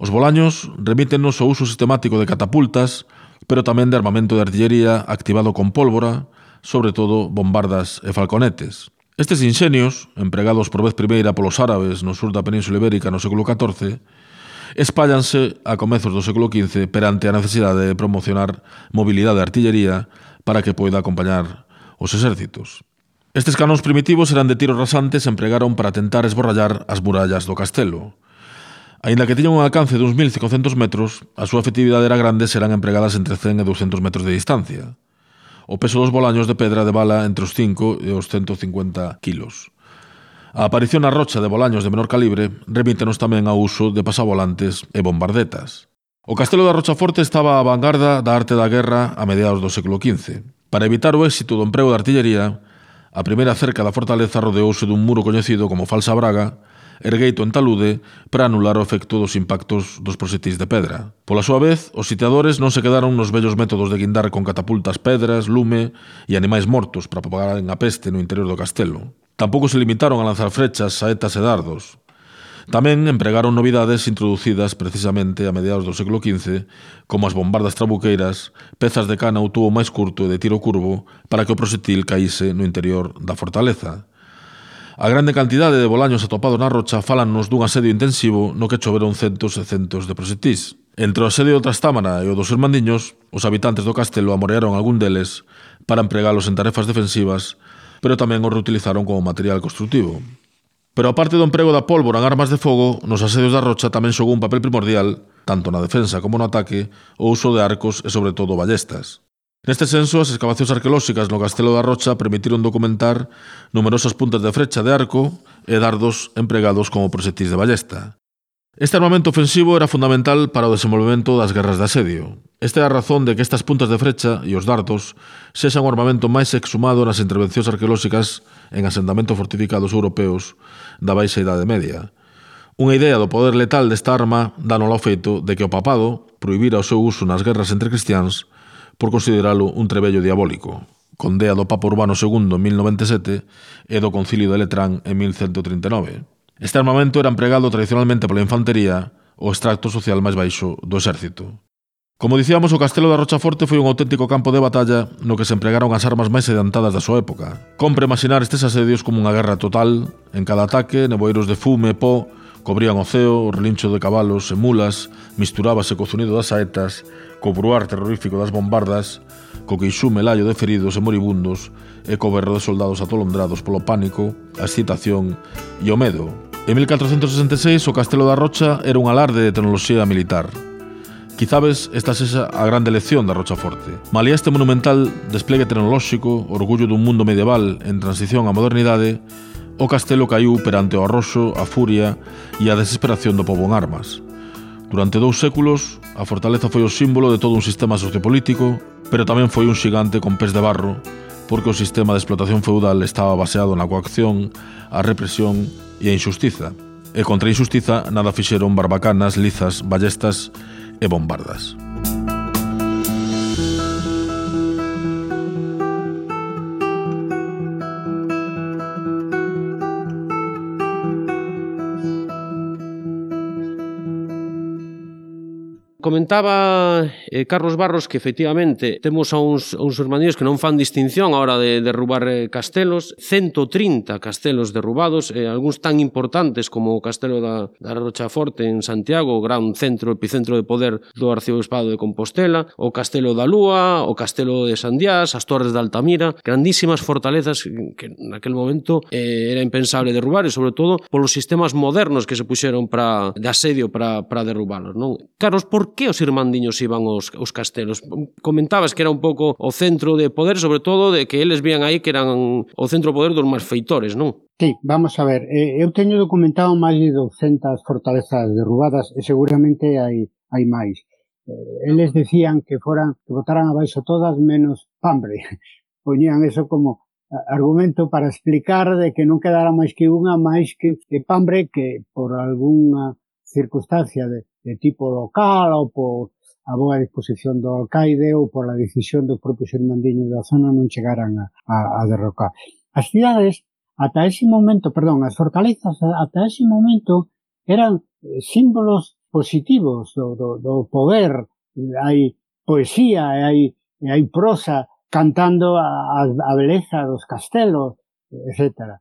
Os Bolaños remítennos ao uso sistemático de catapultas, pero tamén de armamento de artillería activado con pólvora, sobre todo bombardas e falconetes. Estes inxenios, empregados por vez primeira polos árabes no sur da Península Ibérica no século catorce, espállanse a comezos do século quince perante a necesidade de promocionar mobilidade de artillería para que poida acompañar os exércitos. Estes canóns primitivos eran de tiros rasantes e empregaron para tentar esborrallar as murallas do castelo. Aínda que tiñan un alcance de uns mil cincocentos metros, a súa efectividade era grande e serán empregadas entre cen e douscentos metros de distancia. O peso dos bolaños de pedra de bala entre os cinco e os ciento cincuenta kilos. A aparición na rocha de bolaños de menor calibre remítenos tamén ao uso de pasavolantes e bombardetas. O castelo da Rochaforte estaba á vanguarda da arte da guerra a mediados do século quince. Para evitar o éxito do emprego de artillería, a primeira cerca da fortaleza rodeouse dun muro coñecido como Falsa Braga, ergueito en talude para anular o efecto dos impactos dos proxectis de pedra. Pola súa vez, os sitiadores non se quedaron nos vellos métodos de guindar con catapultas, pedras, lume e animais mortos para propagar a peste no interior do castelo. Tampouco se limitaron a lanzar frechas, saetas e dardos. Tamén empregaron novidades introducidas precisamente a mediados do século quince, como as bombardas trabuqueiras, pezas de cana ou tubo máis curto e de tiro curvo para que o proxectil caíse no interior da fortaleza. A grande cantidade de bolaños atopados na rocha fálannos dun asedio intensivo no que choveron centos e centos de proxectís. Entre o asedio do Trastámara e o dos Irmandiños, os habitantes do castelo amorearon algún deles para empregalos en tarefas defensivas, pero tamén os reutilizaron como material constructivo. Pero aparte do emprego da pólvora en armas de fogo, nos asedios da rocha tamén xogou un papel primordial, tanto na defensa como no ataque, o uso de arcos e sobre todo ballestas. Neste senso, as excavacións arqueolóxicas no Castelo da Rocha permitiron documentar numerosas puntas de frecha de arco e dardos empregados como proxectis de ballesta. Este armamento ofensivo era fundamental para o desenvolvemento das guerras de asedio. Esta é a razón de que estas puntas de frecha e os dardos sexan o armamento máis exhumado nas intervencións arqueolóxicas en asentamentos fortificados europeos da Baixa Idade Media. Unha idea do poder letal desta arma dánola ao feito de que o papado prohibira o seu uso nas guerras entre cristiáns por consideralo un trebello diabólico, con dea do Papa Urbano segundo en mil noventa e sete e do Concilio de Letrán en mil ciento trinta e nove. Este armamento era empregado tradicionalmente pola infantería, o extracto social máis baixo do exército. Como dicíamos, o Castelo da Rochaforte foi un auténtico campo de batalla no que se empregaron as armas máis adiantadas da súa época. Compre imaginar estes asedios como unha guerra total. En cada ataque, neboeiros de fume e pó cobrían o ceo, o relincho de cabalos e mulas, misturábase co zunido das saetas, co bruar terrorífico das bombardas, co queixume laio de feridos e moribundos e co berro de soldados atolondrados polo pánico, a excitación e o medo. En mil catrocentos sesenta e seis, o Castelo da Rocha era un alarde de tecnoloxía militar. Quizabes esta sexa a grande lección da Rochaforte. Malia este monumental despliegue tecnolóxico, orgullo dun mundo medieval en transición á modernidade, o castelo caiu perante o arroxo, a furia e a desesperación do pobo en armas. Durante dous séculos, a fortaleza foi o símbolo de todo un sistema sociopolítico, pero tamén foi un xigante con pés de barro, porque o sistema de explotación feudal estaba baseado na coacción, a represión e a injustiza. E contra a injustiza nada fixeron barbacanas, lizas, ballestas e bombardas. Comentaba eh, Carlos Barros que efectivamente temos a uns, a uns irmandiños que non fan distinción a hora de derrubar eh, castelos, ciento trinta castelos derrubados, eh, algúns tan importantes como o castelo da, da Rochaforte en Santiago, o gran centro, epicentro de poder do arcebisbado de Compostela, o castelo da Lúa, o castelo de Sandiás, as torres de Altamira, grandísimas fortalezas que naquel momento eh, era impensable derrubar, e sobre todo polos sistemas modernos que se puxeron para, de asedio para, para derrubalos, non? Carlos, por que os irmandiños iban aos, aos castelos? Comentabas que era un pouco o centro de poder, sobre todo de que eles vían aí que eran o centro de poder dos malfeitores, non? Sí, vamos a ver, eh, eu teño documentado máis de douscentas fortalezas derrubadas e seguramente hai, hai máis. Eh, eles decían que foran, que botaran abaixo todas menos Pambre. Poñían eso como argumento para explicar de que non quedara máis que unha máis que, que Pambre, que por algunha circunstancia de, de tipo local ou por a boa disposición do alcaide ou por a decisión dos propios irmandiños da zona non chegaran a, a, a derrocar. As cidades, ata ese momento, perdón, as fortalezas ata ese momento eran símbolos positivos do, do, do poder, hai poesía, hai, hai prosa cantando a, a beleza dos castelos, etcétera.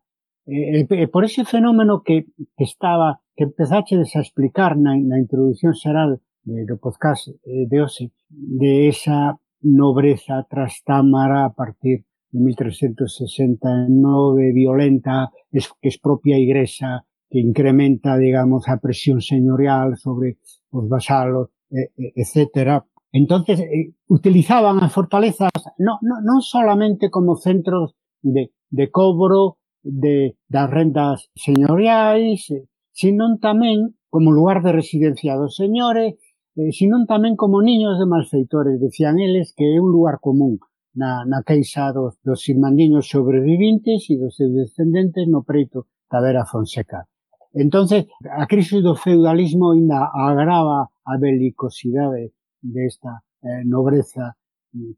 E, e por ese fenómeno que, que estaba, que empezaches a explicar na, na introducción xeral de, do podcast de hoxe, de esa nobreza trastámara a partir de mil trescentos sesenta e nove, violenta, es, que expropia a Igrexa, que incrementa, digamos, a presión señorial sobre os vasalos, eh, etcétera. Entonces, eh, utilizaban as fortalezas no, no, non solamente como centros de, de cobro de, das rendas señoriais, eh, sino tamén como lugar de residencia dos señores, eh, sino tamén como niños de malfeitores, decían eles, que é un lugar común na, na queixa dos, dos irmandiños sobrevivintes e dos seus descendentes no preito da Vera Fonseca. Entonces, a crise do feudalismo ainda agrava a belicosidade desta eh, nobreza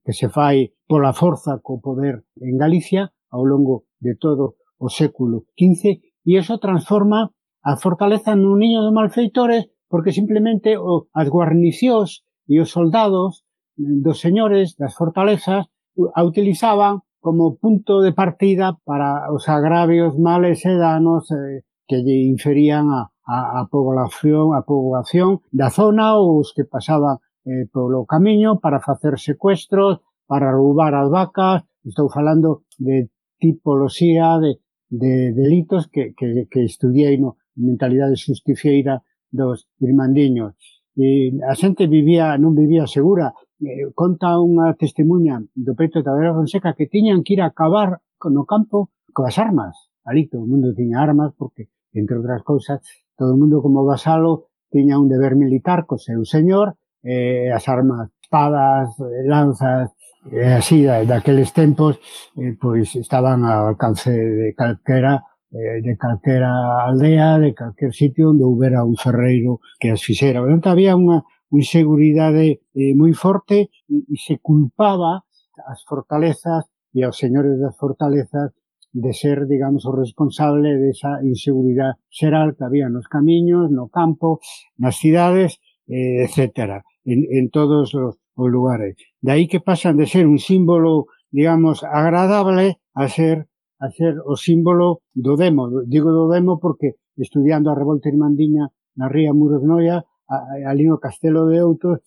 que se fai pola forza co poder en Galicia ao longo de todo o século quince, e iso transforma a fortaleza nun niño de malfeitores porque simplemente o, as guarnicións e os soldados dos señores das fortalezas a utilizaban como punto de partida para os agravios, males e danos eh, que lle inferían a, a, a población, a poboación da zona ou os que pasaban eh, polo camiño para facer secuestros, para roubar as vacas. Estou falando de tipoloxía de, de delitos que, que, que estudiei no mentalidade justicieira dos irmandiños. E a xente vivía, non vivía segura. Eh, conta unha testemunha do peito da Vera Fonseca que tiñan que ir a cavar no campo coas armas. Ali todo o mundo tiña armas porque, entre outras cousas, todo o mundo como vasalo tiña un deber militar co seu señor, eh, as armas, espadas, lanzas, e así, daqueles tempos, eh, pois estaban ao alcance de calquera, eh, de calquera aldea, de calquer sitio onde houbera un ferreiro que as fixera. Portanto, había unha inseguridade eh, moi forte e, e se culpaba as fortalezas e aos señores das fortalezas de ser, digamos, o responsable desa inseguridade xeral que había nos camiños, no campo, nas cidades, eh, etcétera, en, en todos os os lugares. De aí que pasan de ser un símbolo, digamos, agradable a ser a ser o símbolo do demo. Digo do demo porque estudiando a revolta irmandiña na ría Muros Noia, ali no Castelo de Outos,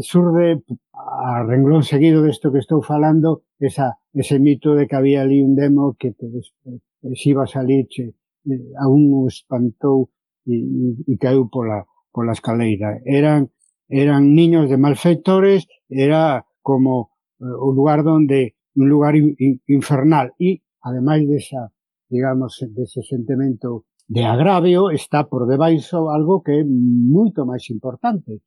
surde a renglón seguido desto que estou falando, esa, ese mito de que había ali un demo que te, se iba a salir, che, a un espantou e, e, e caeu pola, pola escaleira. Eran eran niños de malfeitores, era como eh, o lugar donde, un lugar in, in, infernal. E, ademais desa, digamos, dese sentimento de agravio, está por debaixo algo que é moito máis importante,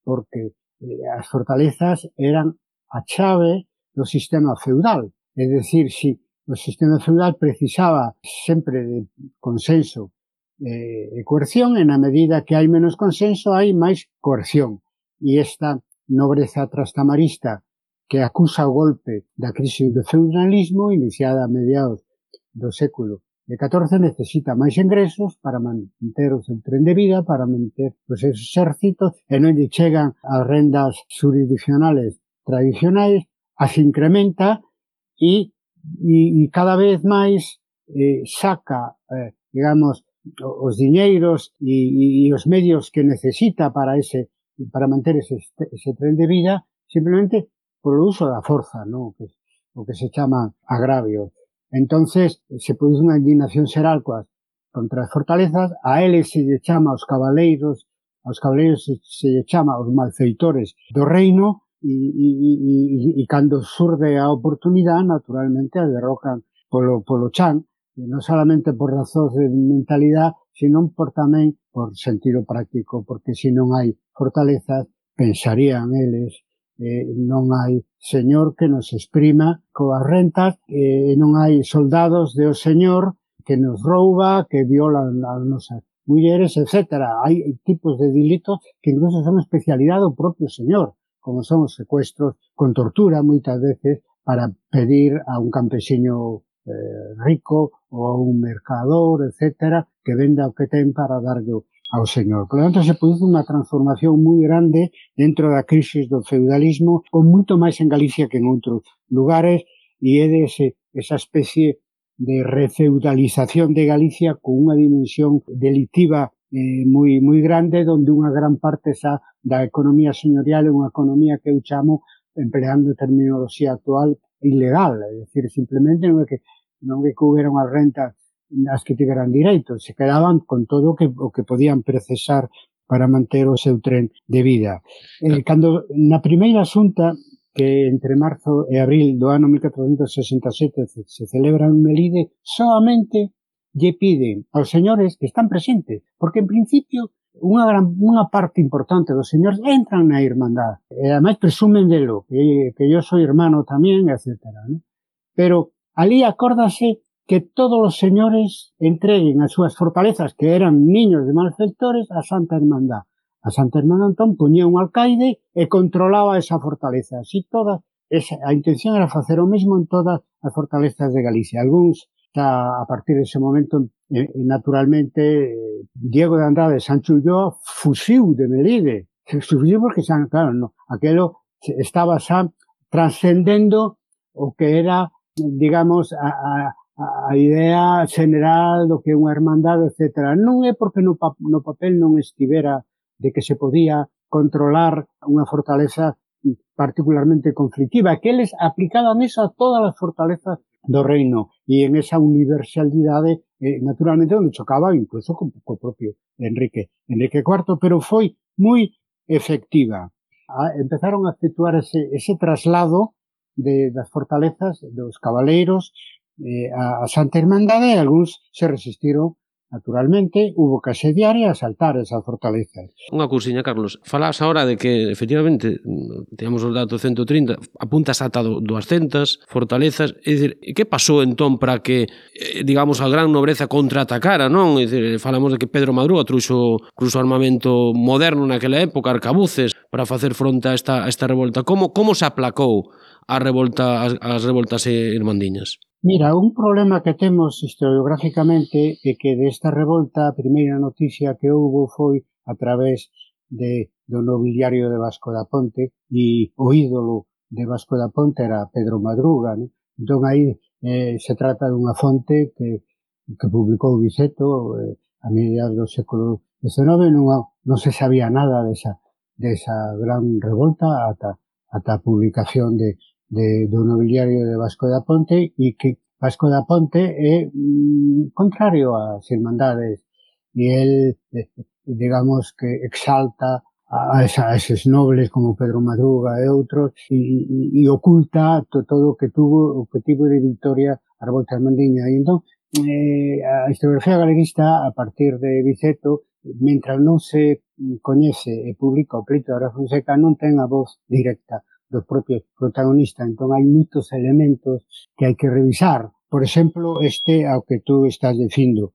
porque eh, as fortalezas eran a chave do sistema feudal. É dicir, si o sistema feudal precisaba sempre de consenso e coerción, e na medida que hai menos consenso, hai máis coerción. E esta nobreza trastamarista que acusa o golpe da crise do feudalismo iniciada a mediados do século catorce necesita máis ingresos para manter o seu tren de vida, para manter os seus exércitos, e non lle chegan as rendas jurisdiccionales tradicionais, as incrementa e, e, e cada vez máis eh, saca, eh, digamos, os diñeiros e, e os medios que necesita para ese para manter ese, ese tren de vida simplemente polo uso da forza, ¿no? Que, o que se chama agravio. Entonces, se produce unha indignación xeral coas, contra as fortalezas, a eles se lle chama os cabaleiros, aos cabaleiros se, se lle chama os malfeitores do reino, e, e, e, e cando surde a oportunidade, naturalmente, a derrocan polo, polo chan, non solamente por razóns de mentalidade, sino por tamén por sentido práctico, porque se non hai fortalezas, pensarían eles, eh, non hai señor que nos exprima coas rentas, e eh, non hai soldados de o señor que nos rouba, que violan as nosas mulleres, etcétera. Hai tipos de delitos que incluso son especialidade do propio señor, como son os secuestros con tortura, moitas veces, para pedir a un campesiño eh, rico ou a un mercador, etcétera, que venda o que ten para darlle ao señor. Por lo tanto, se produce unha transformación moi grande dentro da crisis do feudalismo, con moito máis en Galicia que en outros lugares, e é dese, esa especie de refeudalización de Galicia con unha dimensión delictiva eh, moi, moi grande, donde unha gran parte xa da economía señorial é unha economía que eu chamo, empleando terminoloxía actual, ilegal, é dicir, simplemente non é que non é que houbera unha renta as que tiveran direito, se quedaban con todo o que, o que podían procesar para manter o seu tren de vida. Eh, cando na primeira xunta, que entre marzo e abril do ano mil catrocentos sesenta e sete se, se celebra en Melide, solamente lle piden aos señores que están presentes, porque en principio unha, gran, unha parte importante dos señores entran na Irmandad, e ademais presumen delo, que, que yo soy hermano tamén, etcétera, ¿no? Pero ali acórdase que todos os señores entreguen as súas fortalezas, que eran niños de malfeitores, a Santa Irmandad. A Santa Irmandad, entón, poñía un alcaide e controlaba esa fortaleza. Así toda, esa, a intención era facer o mesmo en todas as fortalezas de Galicia. Algúns, a partir dese momento, eh, naturalmente, Diego de Andrade, Sancho Ulloa, fuxiu de Melide. Fuxiu porque, xa, claro, no, aquelo estaba xa transcendendo o que era, digamos, a, a a idea general do que é unha hermandade, etcétera. Non é porque no, pa, no papel non estivera de que se podía controlar unha fortaleza particularmente conflictiva, que eles aplicaban eso a todas as fortalezas do reino, e en esa universalidade, eh, naturalmente, onde chocaba incluso co, co propio Enrique, Enrique cuarto, pero foi moi efectiva. Ah, empezaron a efectuar ese, ese traslado de, das fortalezas dos cabaleiros Eh, a, a Santa Irmandade, e algúns se resistiron, naturalmente, hubo que asediar e asaltar esa fortaleza. Unha cousiña, Carlos, falas ahora de que, efectivamente, teníamos os datos ciento trinta, apuntas ata doscientas fortalezas, é dicir, que pasou entón para que, digamos, a gran nobreza contraatacara, non? É dicir, falamos de que Pedro Madruga trouxo incluso armamento moderno naquela época, arcabuces, para facer fronte a esta, a esta revolta. Como, como se aplacou a revolta, as, as revoltas irmandiñas? Mira, un problema que temos historiográficamente é que desta revolta a primeira noticia que houbo foi a través de, do nobiliario de Vasco da Ponte, e o ídolo de Vasco da Ponte era Pedro Madruga, ¿no? Entón aí eh, se trata dunha fonte que, que publicou Viceto eh, a mediados do século dezenove, non, non se sabía nada desa, desa gran revolta ata, ata a publicación de De, do nobiliario de Vasco da Ponte, e que Vasco da Ponte é mm, contrario ás irmandades, e el, eh, digamos, que exalta a, esa, a eses nobles como Pedro Madruga e outros, e, e, e oculta to, todo o que tuvo o objetivo de victoria a revolta irmandiña. E entón, eh, a historiografía galeguista, a partir de Viceto, mentras non se coñece e publica o pleito de Ara Fonseca, non ten a voz directa dos propios protagonistas. Entón hai moitos elementos que hai que revisar. Por exemplo, este ao que tú estás dicindo.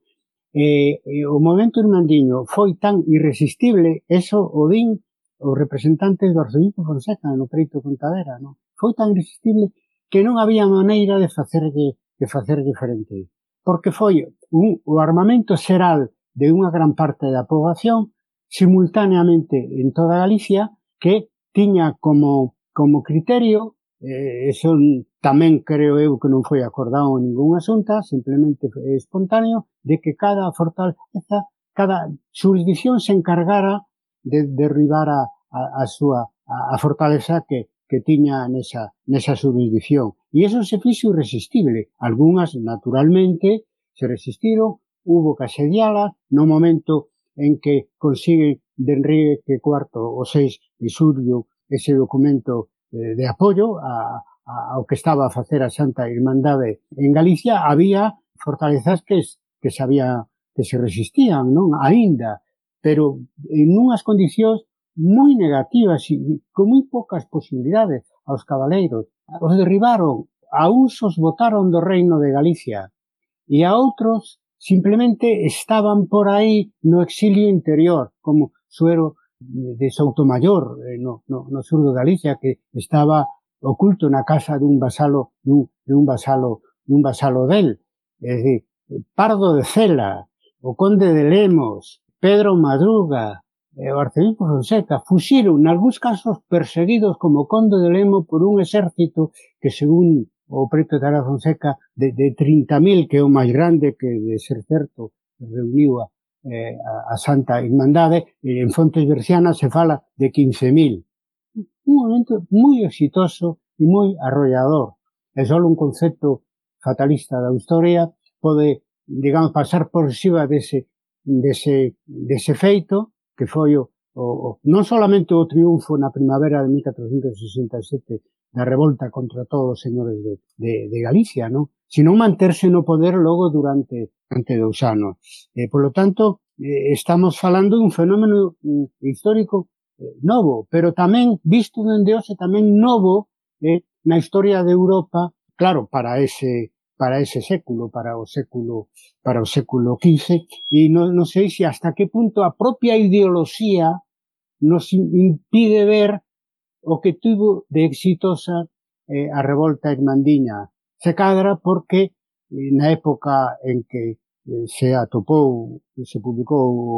Eh, eh, o movimento irmandiño foi tan irresistible, eso o din os representantes do arzobispo Fonseca no preito Contadera, non? Foi tan irresistible que non había maneira de facerlle, de facer diferente. Porque foi un, o armamento xeral de unha gran parte da poboación simultaneamente en toda Galicia, que tiña como como criterio, eh, eso tamén creo eu que non foi acordado en ningún asunta, simplemente é espontáneo, de que cada fortaleza, cada jurisdicción se encargara de derribar a, a, a súa a, a fortaleza que, que tiña nesa, nesa jurisdicción. E iso se fixo irresistible. Algúnas, naturalmente, se resistiron, hubo que asedialas, no momento en que consigue de Enrique cuarto o seis de xullo ese documento eh, de apoio a, a, ao que estaba a facer a Santa Irmandade en Galicia, había fortalezas que, que, sabía, que se resistían, non? Aínda, pero en unhas condicións moi negativas e con moi poucas posibilidades aos cabaleiros. Os derribaron, a uns os botaron do reino de Galicia e a outros simplemente estaban por aí no exilio interior, como Suero de Soutomayor, no, no, no sur de Galicia, que estaba oculto na casa dun vasalo, dun, dun vasalo, dun vasalo del. É dicir, Pardo de Cela, o conde de Lemos, Pedro Madruga e o arcebispo Fonseca fuxiron, nalgúns casos perseguidos como conde de Lemo por un exército que, según o preto Tara Fonseca, de, de trinta mil, que é o máis grande, que de ser certo reuniu a, eh, a Santa Irmandade, e en fontes bercianas se fala de quince mil. Un momento moi exitoso e moi arrollador. É só un concepto fatalista da historia pode, digamos, pasar por riba dese, dese, dese feito, que foi o, o, non solamente o triunfo na primavera de mil catrocentos sesenta e sete da revolta contra todos os señores de, de, de Galicia, non? Sino manterse no poder logo durante, durante dous anos. E, polo tanto, eh, estamos falando dun fenómeno mm, histórico eh, novo, pero tamén, visto dende hoxe, tamén novo eh, na historia de Europa, claro, para ese para ese século, para o século para o século quince, e non, non sei se hasta que punto a propia ideoloxía nos impide ver o que tuvo de exitosa eh, a revolta irmandiña. Se cadra porque eh, na época en que eh, se atopou, se publicou o,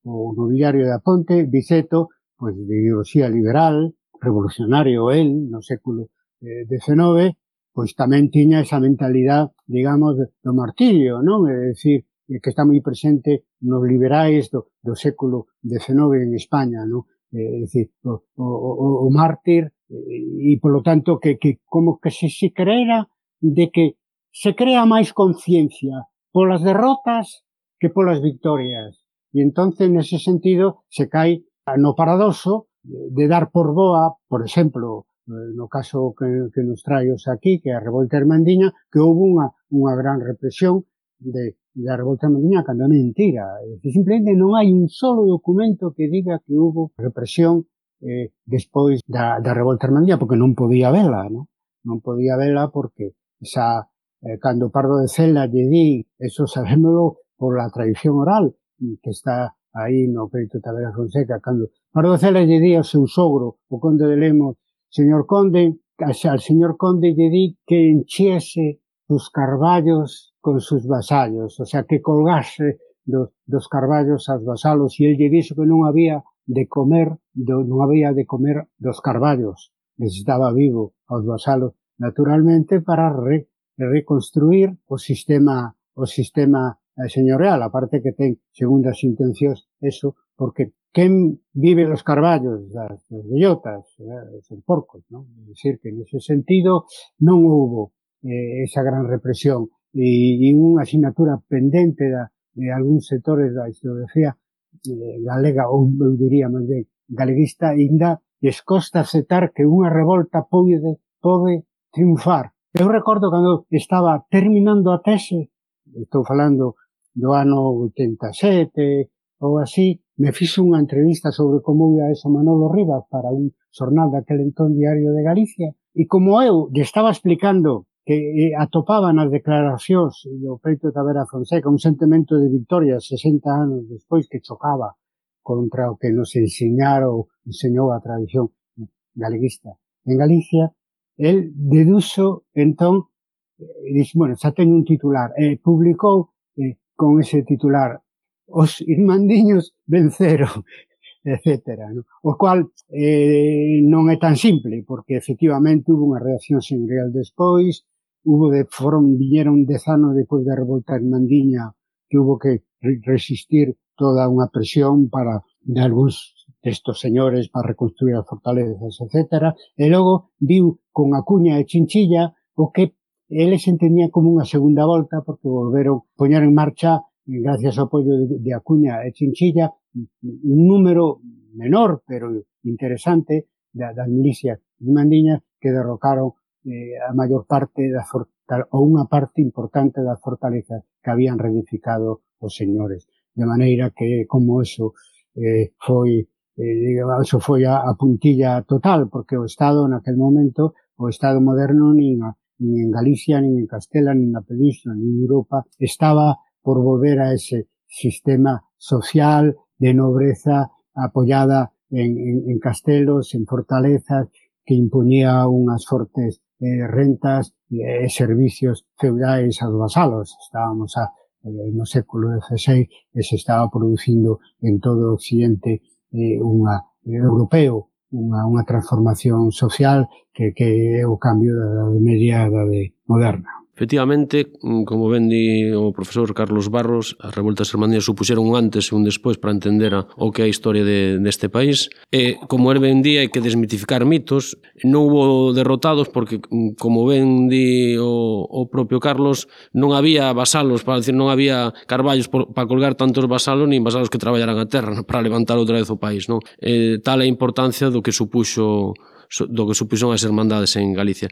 o nobiliario da Ponte, Biceto, pois de ideoloxía liberal, revolucionario el, no século eh, dezenove, pois tamén tiña esa mentalidade, digamos, do martirio, non? É dicir, que está moi presente nos liberais do, do século dezenove en España, non? É dicir, o, o, o mártir, e, polo tanto, que, que como que se, se creera de que se crea máis conciencia polas derrotas que polas victorias. E entonces, nese sentido, se cae no paradoxo de dar por boa, por exemplo, no caso que, que nos traemos aquí, que é a revolta irmandiña, que houve unha, unha gran represión de, da revolta irmandiña, cando é mentira. É dicir, simplemente non hai un solo documento que diga que houve represión eh, despois da, da revolta irmandiña, porque non podía vela, non? Non podía vela porque esa, eh, cando Pardo de Cela lle di, eso sabémolo por la tradición oral, que está aí no Crédito Tavera Fonseca, cando Pardo de Cela lle di ao seu sogro, o conde de Lemos, señor conde, al señor conde lle di que enchiese os carballos con sus vasallos, o sea, que colgase dos, dos carballos aos vasalos, e el lle dixo que non había de comer, do, non había de comer dos carballos, necesitaba vivo aos vasalos, naturalmente, para re, reconstruir o sistema, o sistema señorial, aparte que ten segundas intencións, eso, porque quen vive los carballos das, das bellotas, eh, son porcos, non? É dicir, que nese sentido non houbo eh, esa gran represión e, e unha asignatura pendente da, de algúns sectores da historiografía eh, galega, ou eu diría máis ben galeguista, ainda lles costa aceptar que unha revolta pode, pode triunfar. Eu recordo cando estaba terminando a tese, estou falando do ano oitenta e sete ou así, me fixo unha entrevista sobre como ia eso Manolo Rivas para un xornal daquele entón Diario de Galicia, e como eu lle estaba explicando que eh, atopaba nas declaracións do Peito Tavera Fonseca un sentimento de victoria sesenta anos despois que chocaba contra o que nos enseñaron, enseñou a tradición galeguista en Galicia, el deduxo entón, e dixo, bueno, xa ten un titular, e publicou eh, con ese titular, os irmandiños venceron, etcétera, ¿no? O cual eh, non é tan simple, porque efectivamente hubo unha reacción señorial despois, hubo de foron, viñeron dez anos depois da revolta irmandiña, que hubo que resistir toda unha presión para de algúns destos señores para reconstruir as fortalezas, etcétera, e logo viu con Acuña e Chinchilla o que eles entendían como unha segunda volta, porque volveron a poñer en marcha, gracias ao apoio de, de Acuña e Chinchilla, un número menor, pero interesante, das da milicias irmandiñas que derrocaron eh, a maior parte da fortaleza, ou unha parte importante das fortalezas que habían reedificado os señores. De maneira que, como eso eh, foi, eh, digamos, eso foi a, a puntilla total, porque o Estado, naquel momento, o Estado moderno, nin, a, nin en Galicia, nin en Castela, nin na Península, nin en Europa, estaba por volver a ese sistema social de nobreza apoyada en, en, en castelos, en fortalezas, que imponía unhas fortes eh, rentas e eh, servicios feudais aos vasalos. Estábamos a, eh, no século dezasseis e se estaba producindo en todo o occidente eh, unha, eh, europeo unha, unha transformación social que, que é o cambio da Idade Media da Idade Moderna. Efectivamente, como ben di o profesor Carlos Barros, as revoltas irmandíes supuxeron un antes e un despois para entender a, o que é a historia de, deste país. E, como el ben di, hai que desmitificar mitos. Non hubo derrotados porque, como ben di o, o propio Carlos, non había vasalos, para decir, non había carballos por, para colgar tantos vasalos, nin vasalos que traballaran a terra para levantar outra vez o país. Non? E, tal é a importancia do que supuxo do que supuxon as hermandades en Galicia.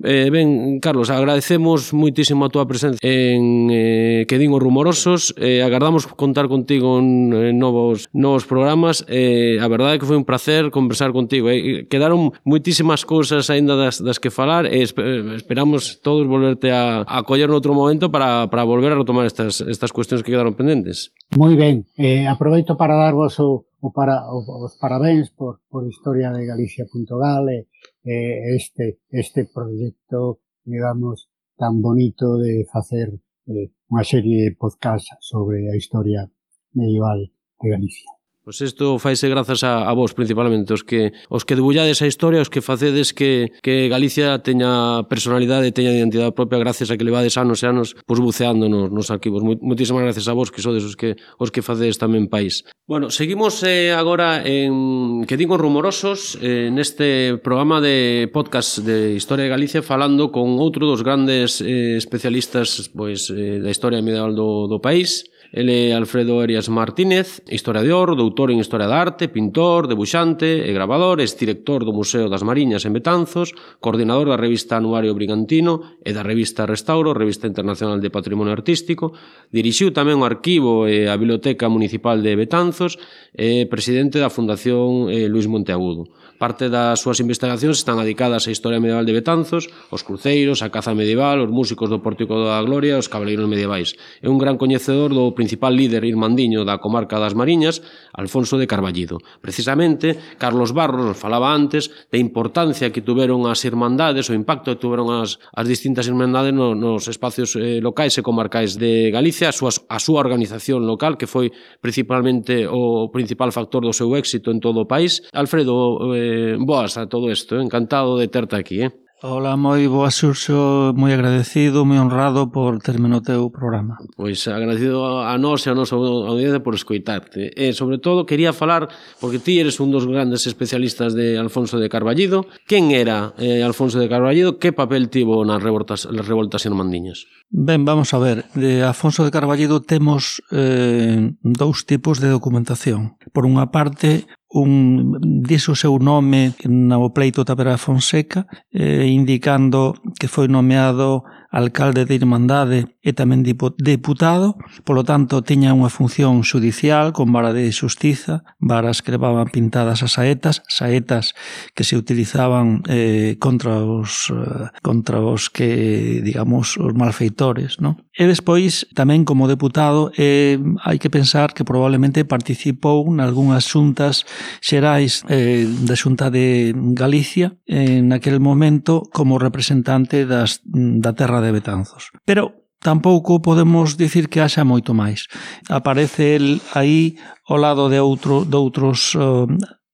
Eh, ben, Carlos, agradecemos moitísimo a túa presencia en eh, Que din os rumorosos, eh, agardamos contar contigo en, en novos, novos programas. Eh, a verdade é que foi un placer conversar contigo. Eh. Quedaron moitísimas cousas aínda das, das que falar e esperamos todos volverte a, a coller noutro momento para, para volver a retomar estas, estas cuestións que quedaron pendentes. Moi ben, eh, aproveito para darvos o o para, os parabéns por, por historia de Galicia punto gal e eh, este, este proxecto, digamos, tan bonito de facer eh, unha serie de podcast sobre a historia medieval de Galicia. Pois isto faise grazas a, a vos, principalmente, os que os que debullades a historia, os que facedes que, que Galicia teña personalidade, teña identidade propia, gracias a que levades anos e anos pois, buceando nos, nos arquivos. Moitísimas gracias a vos, que sodes os que, os que facedes tamén país. Bueno, seguimos eh, agora en Que din os rumorosos, eh, neste programa de podcast de Historia de Galicia, falando con outro dos grandes eh, especialistas pois, eh, da historia medieval do, do país. Ele é Alfredo Arias Martínez, historiador, doutor en Historia da Arte, pintor, debuxante e grabador, ex director do Museo das Mariñas en Betanzos, coordinador da revista Anuario Brigantino e da revista Restauro, revista internacional de patrimonio artístico, dirixiu tamén o arquivo e a Biblioteca Municipal de Betanzos e presidente da Fundación eh, Luis Monteagudo. Parte das súas investigacións están dedicadas á historia medieval de Betanzos, os cruceiros, a caza medieval, os músicos do Pórtico da Gloria e os cabaleiros medievais. É un gran coñecedor do principal líder irmandiño da comarca das Mariñas, Alfonso de Carballido. Precisamente, Carlos Barros nos falaba antes da importancia que tuveron as irmandades, o impacto que tuveron as, as distintas irmandades no, nos espacios eh, locais e comarcais de Galicia, a súa, a súa organización local, que foi principalmente o principal factor do seu éxito en todo o país. Alfredo, eh, boas a todo isto, eh? Encantado de terte aquí. Eh? Hola, moi boa, Xurxo, moi agradecido, moi honrado por terme no teu programa. Pois agradecido a nós e a nosa audiencia por escoitarte. E, sobre todo, quería falar, porque ti eres un dos grandes especialistas de Alfonso de Carballido. Quen era eh, Alfonso de Carballido? Que papel tivo nas revoltas, nas revoltas irmandiñas? Ben, vamos a ver. De Alfonso de Carballido temos eh, dous tipos de documentación. Por unha parte, un dixo o seu nome no pleito Tavera Fonseca, eh, indicando que foi nomeado alcalde de Irmandade e tamén deputado, polo tanto tiña unha función judicial con vara de xustiza, varas que levaban pintadas as saetas, saetas que se utilizaban eh, contra os eh, contra os que, digamos, os malfeitores, non? E despois, tamén como deputado, eh, hai que pensar que probablemente participou nalgúnas xuntas xerais eh, da Xunta de Galicia en aquel momento como representante das, da terra de Betanzos. Pero tampouco podemos dicir que haxa moito máis. Aparece el aí ao lado de, outro, de outros uh,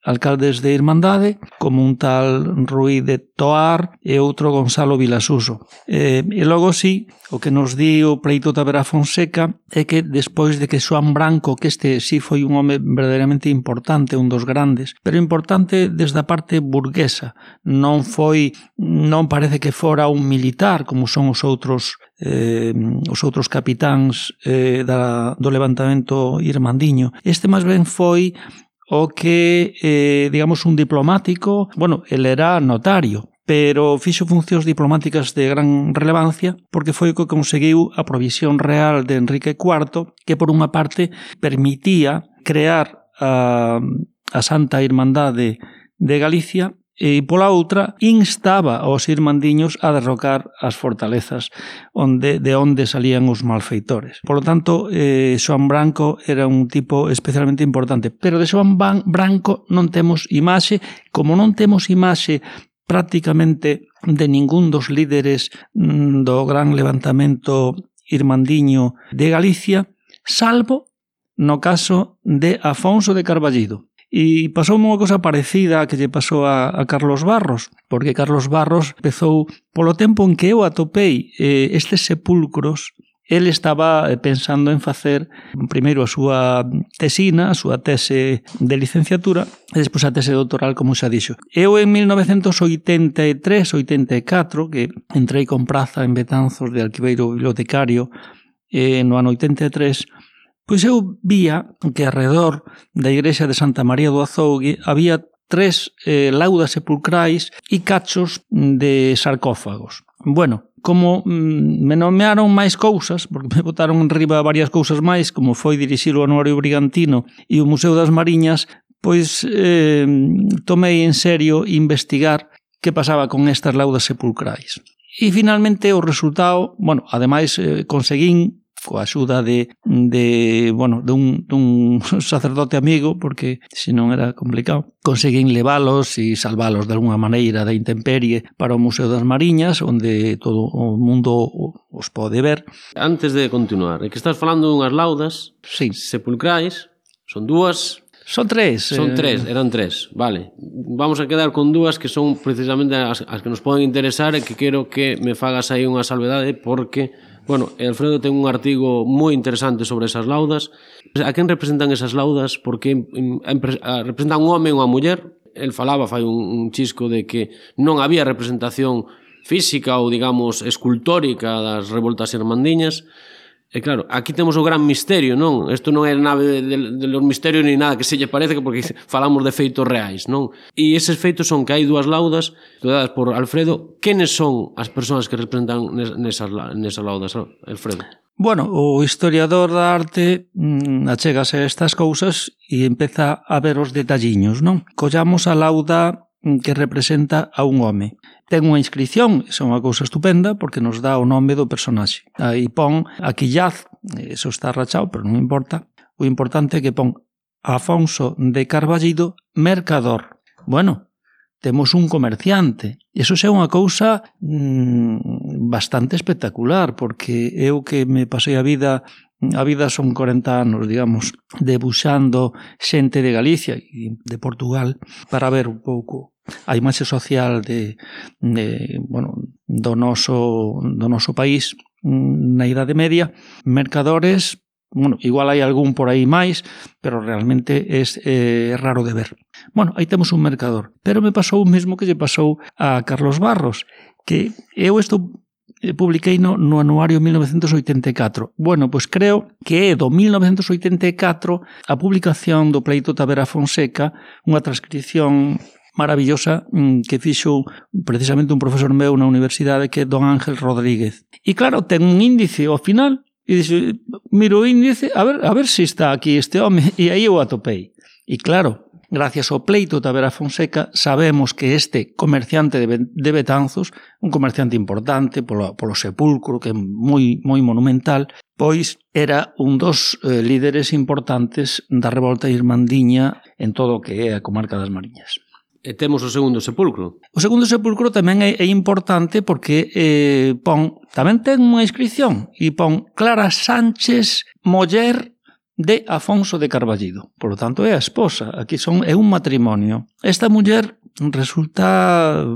alcaldes de Irmandade, como un tal Ruí de Toar e outro Gonzalo Vilasuso. E, e logo sí, o que nos di o pleito Tavera Fonseca é que despois de que Xoán Branco, que este sí foi un home verdadeiramente importante, un dos grandes, pero importante desde a parte burguesa, non foi, non parece que fora un militar como son os outros eh, os outros capitáns eh, da, do levantamento irmandiño. Este máis ben foi o que, eh, digamos, un diplomático, bueno, ele era notario, pero fixo funcións diplomáticas de gran relevancia porque foi o que conseguiu a provisión real de Enrique cuarto, que por unha parte permitía crear a, a Santa Irmandade de Galicia e pola outra instaba aos irmandiños a derrocar as fortalezas onde, de onde salían os malfeitores. Por lo tanto, eh, Xoán Branco era un tipo especialmente importante, pero de Xoán Branco non temos imaxe, como non temos imaxe prácticamente de ningún dos líderes do gran levantamento irmandiño de Galicia, salvo no caso de Afonso de Carballido. E pasou unha cosa parecida a que lle pasou a, a Carlos Barros, porque Carlos Barros empezou, polo tempo en que eu atopei eh, estes sepulcros, ele estaba pensando en facer primeiro a súa tesina, a súa tese de licenciatura, e despois a tese doutoral, como xa dixo. Eu en mil novecentos oitenta e tres oitenta e catro, que entrei con praza en Betanzos de arquiveiro bibliotecario eh, no ano oitenta e tres, pois eu vía que alrededor da igrexa de Santa María do Azougue había tres eh, laudas sepulcrais e cachos de sarcófagos. Bueno, como mm, me nomearon máis cousas, porque me botaron en riba varias cousas máis, como foi dirixir o Anuario Brigantino e o Museo das Mariñas, pois eh, tomei en serio investigar que pasaba con estas laudas sepulcrais. E finalmente o resultado, bueno, ademais eh, conseguín coa axuda de, de, bueno, de un, dun sacerdote amigo, porque senón era complicado, conseguín leválos e salvalos de alguna maneira da intemperie para o Museo das Mariñas, onde todo o mundo os pode ver. Antes de continuar, é que estás falando dunhas laudas sí. sepulcrais, son dúas... Son tres. Son tres, eran tres, vale. Vamos a quedar con dúas que son precisamente as, as que nos poden interesar e que quero que me fagas aí unha salvedade porque... Bueno, Alfredo ten un artigo moi interesante sobre esas laudas. A quen representan esas laudas? Porque representan un home e unha muller. El falaba, fai un, un chisco de que non había representación física ou, digamos, escultórica das revoltas irmandiñas. E claro, aquí temos o gran misterio, non? Isto non é nave de, de los misterios ni nada que se lle parece, porque falamos de feitos reais, non? E eses feitos son que hai dúas laudas estudadas por Alfredo. Quenes son as persoas que representan nesas, nesas laudas, Alfredo? Bueno, o historiador da arte mmm, achégase a estas cousas e empeza a ver os detalliños, non? Collamos a lauda que representa a un home. Ten unha inscripción, esa é unha cousa estupenda, porque nos dá o nome do personaxe. Aí pon aquí Yaz, eso está rachado, pero non importa. O importante é que pon Afonso de Carballido, mercador. Bueno, temos un comerciante. E iso é unha cousa mmm, bastante espectacular, porque eu que me pasei a vida... A vida son corenta anos, digamos, debuxando xente de Galicia e de Portugal para ver un pouco a imaxe social de, de, bueno, do, noso, do noso país na Idade Media. Mercadores, bueno, igual hai algún por aí máis, pero realmente é eh, raro de ver. Bueno, aí temos un mercador. Pero me pasou o mesmo que lle pasou a Carlos Barros, que eu estou... publiquei no, no anuario mil novecentos oitenta e catro. Bueno, pois creo que é do mil novecentos oitenta e catro a publicación do pleito Tavera Fonseca, unha transcripción maravillosa que fixo precisamente un profesor meu na universidade, que é don Ángel Rodríguez. E claro, ten un índice ao final, e dixo, miro o índice, a ver, a ver se está aquí este home, e aí eu atopei. E claro, gracias ao pleito Tavera Fonseca, sabemos que este comerciante de Betanzos, un comerciante importante polo, polo sepulcro, que é moi, moi monumental, pois era un dos eh, líderes importantes da revolta irmandiña en todo o que é a comarca das Mariñas. E temos o segundo sepulcro. O segundo sepulcro tamén é, é importante porque eh, pon, tamén ten unha inscripción e pon Clara Sánchez, muller de Afonso de Carballido. Por lo tanto, é a esposa. Aquí son, é un matrimonio. Esta muller resulta...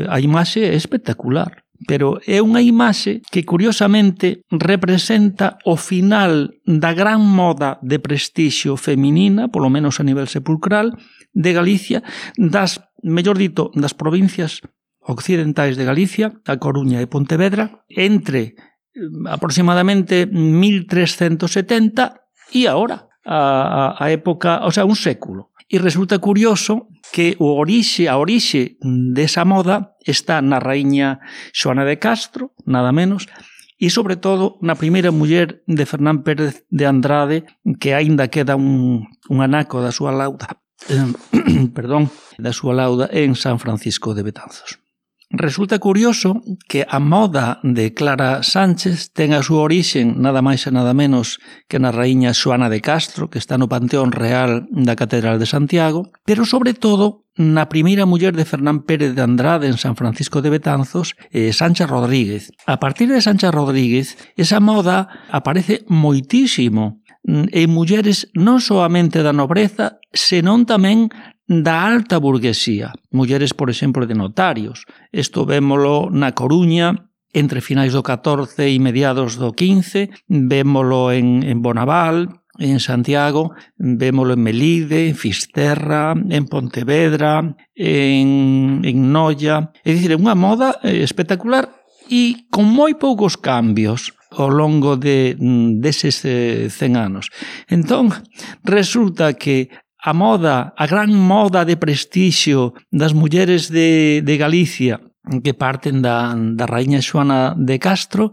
A imaxe é espectacular, pero é unha imaxe que, curiosamente, representa o final da gran moda de prestixio feminina, polo menos a nivel sepulcral, de Galicia, das, mellor dito, das provincias occidentais de Galicia, a Coruña e Pontevedra, entre aproximadamente mil trescentos setenta e agora, a, a época, o sea, un século. E resulta curioso que o orixe, a orixe desa moda está na raíña Xoana de Castro, nada menos, e sobre todo na primeira muller de Fernán Pérez de Andrade, que aínda queda un, un anaco da súa lauda, eh, perdón, da súa lauda en San Francisco de Betanzos. Resulta curioso que a moda de Clara Sánchez ten a súa orixen nada máis e nada menos que na raíña Xoana de Castro, que está no Panteón Real da Catedral de Santiago, pero sobre todo na primeira muller de Fernán Pérez de Andrade en San Francisco de Betanzos, eh, Sancha Rodríguez. A partir de Sancha Rodríguez, esa moda aparece moitísimo en mulleres non soamente da nobreza, senón tamén da alta burguesía. Mulleres, por exemplo, de notarios. Isto vémolo na Coruña, entre finais do catorce e mediados do quince, vémolo en, en Bonaval, en Santiago, vémolo en Melide, en Fisterra, en Pontevedra, en, en Noia. É dicir, é unha moda espectacular e con moi poucos cambios ao longo de deses cen anos. Entón, resulta que a moda, a gran moda de prestixio das mulleres de, de Galicia, que parten da, da raíña Xoana de Castro,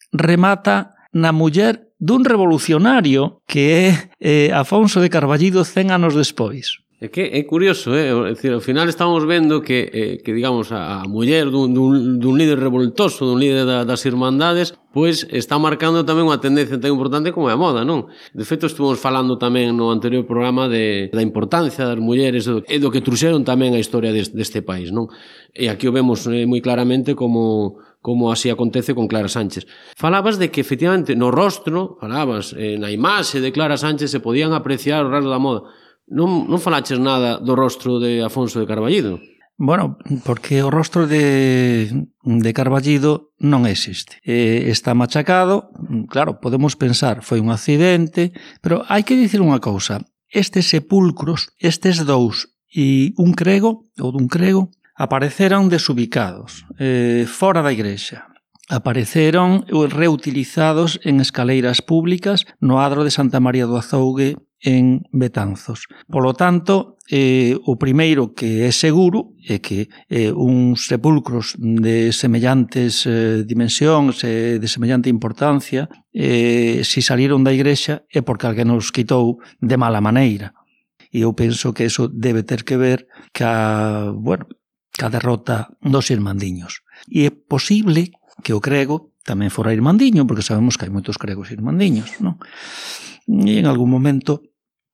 remata na muller dun revolucionario que é eh, Afonso de Carballido cen anos despois. É que é curioso, eh? É dicir, ao final estamos vendo que, eh, que digamos, a, a muller dun, dun, dun líder revoltoso, dun líder da, das irmandades, pois está marcando tamén unha tendencia tan importante como é a moda, non? De feito, estuvimos falando tamén no anterior programa de, da importancia das mulleres e do que truxeron tamén a historia deste, deste país, non? E aquí o vemos eh, moi claramente como... como así acontece con Clara Sánchez. Falabas de que, efectivamente, no rostro, falabas, eh, na imaxe de Clara Sánchez se podían apreciar os rasgos da moda. Non, non falaches nada do rostro de Afonso de Carballido? Bueno, porque o rostro de, de Carballido non existe. Eh, está machacado, claro, podemos pensar, foi un accidente, pero hai que dicir unha cousa. Estes sepulcros, estes dous e un crego, ou dun crego, apareceron desubicados, eh, fora da igrexa. Apareceron reutilizados en escaleiras públicas no adro de Santa María do Azougue en Betanzos. Polo tanto, eh, o primeiro que é seguro é que eh, uns sepulcros de semellantes eh, dimensións e de semellante importancia, eh, si salieron da igrexa é porque alguén nos quitou de mala maneira. E eu penso que eso debe ter que ver ca, bueno, ca derrota dos irmandiños. E é posible que o crego tamén fora irmandiño, porque sabemos que hai moitos cregos irmandiños, non? E en algún momento,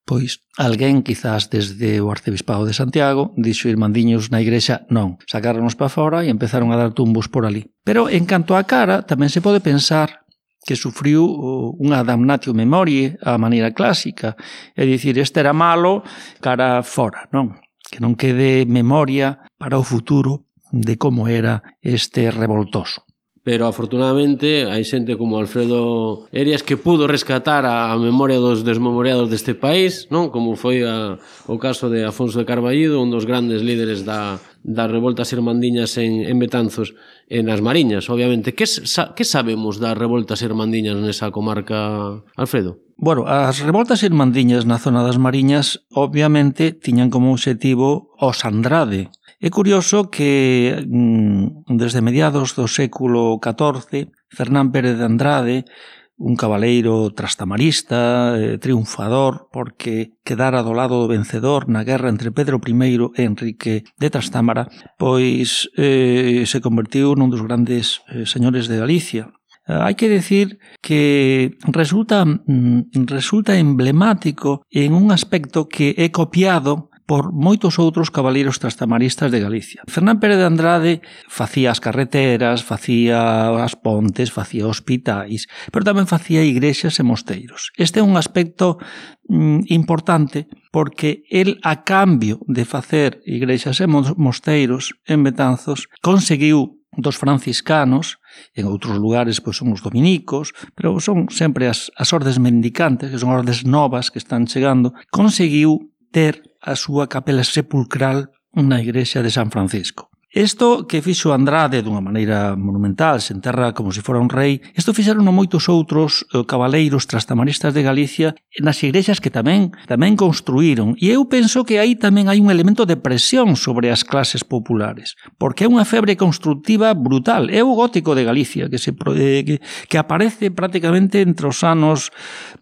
pois, alguén, quizás desde o Arcebispado de Santiago, dixo irmandiños na igrexa, non, sacaronos para fora e empezaron a dar tumbos por ali. Pero, en canto á cara, tamén se pode pensar que sufriu unha damnatio memoriae á maneira clásica, é dicir, este era malo, cara fora, non? Que non quede memoria para o futuro de como era este revoltoso. Pero, afortunadamente, hai xente como Alfredo Erias que pudo rescatar a memoria dos desmemoriados deste país, non? Como foi a, o caso de Afonso de Carballido, un dos grandes líderes da, das revoltas irmandiñas en, en Betanzos e nas Mariñas, obviamente. Que, sa, que sabemos das revoltas irmandiñas nesa comarca, Alfredo? Bueno, as revoltas irmandiñas na zona das Mariñas, obviamente, tiñan como objetivo os Andrade. É curioso que desde mediados do século catorce, Fernán Pérez de Andrade, un cabaleiro trastamarista, eh, triunfador, porque quedara do lado do vencedor na guerra entre Pedro I e Enrique de Trastámara, pois eh, se convertiu nun dos grandes eh, señores de Galicia. Eh, hai que decir que resulta, mm, resulta emblemático en un aspecto que é copiado por moitos outros cabaleiros trastamaristas de Galicia. Fernán Pérez de Andrade facía as carreteras, facía as pontes, facía hospitais, pero tamén facía igrexas e mosteiros. Este é un aspecto mm, importante porque el, a cambio de facer igrexas e mosteiros en Betanzos, conseguiu dos franciscanos, en outros lugares pois son os dominicos, pero son sempre as, as ordes mendicantes, que son ordes novas que están chegando, conseguiu ter a súa capela sepulcral na igrexa de San Francisco. Isto que fixo Andrade dunha maneira monumental, se enterra como se fora un rei, isto fixeron moitos outros cabaleiros trastamaristas de Galicia nas igrexas que tamén tamén construíron. E eu penso que aí tamén hai un elemento de presión sobre as clases populares, porque é unha febre constructiva brutal. É o gótico de Galicia que, se, que, que aparece prácticamente entre os anos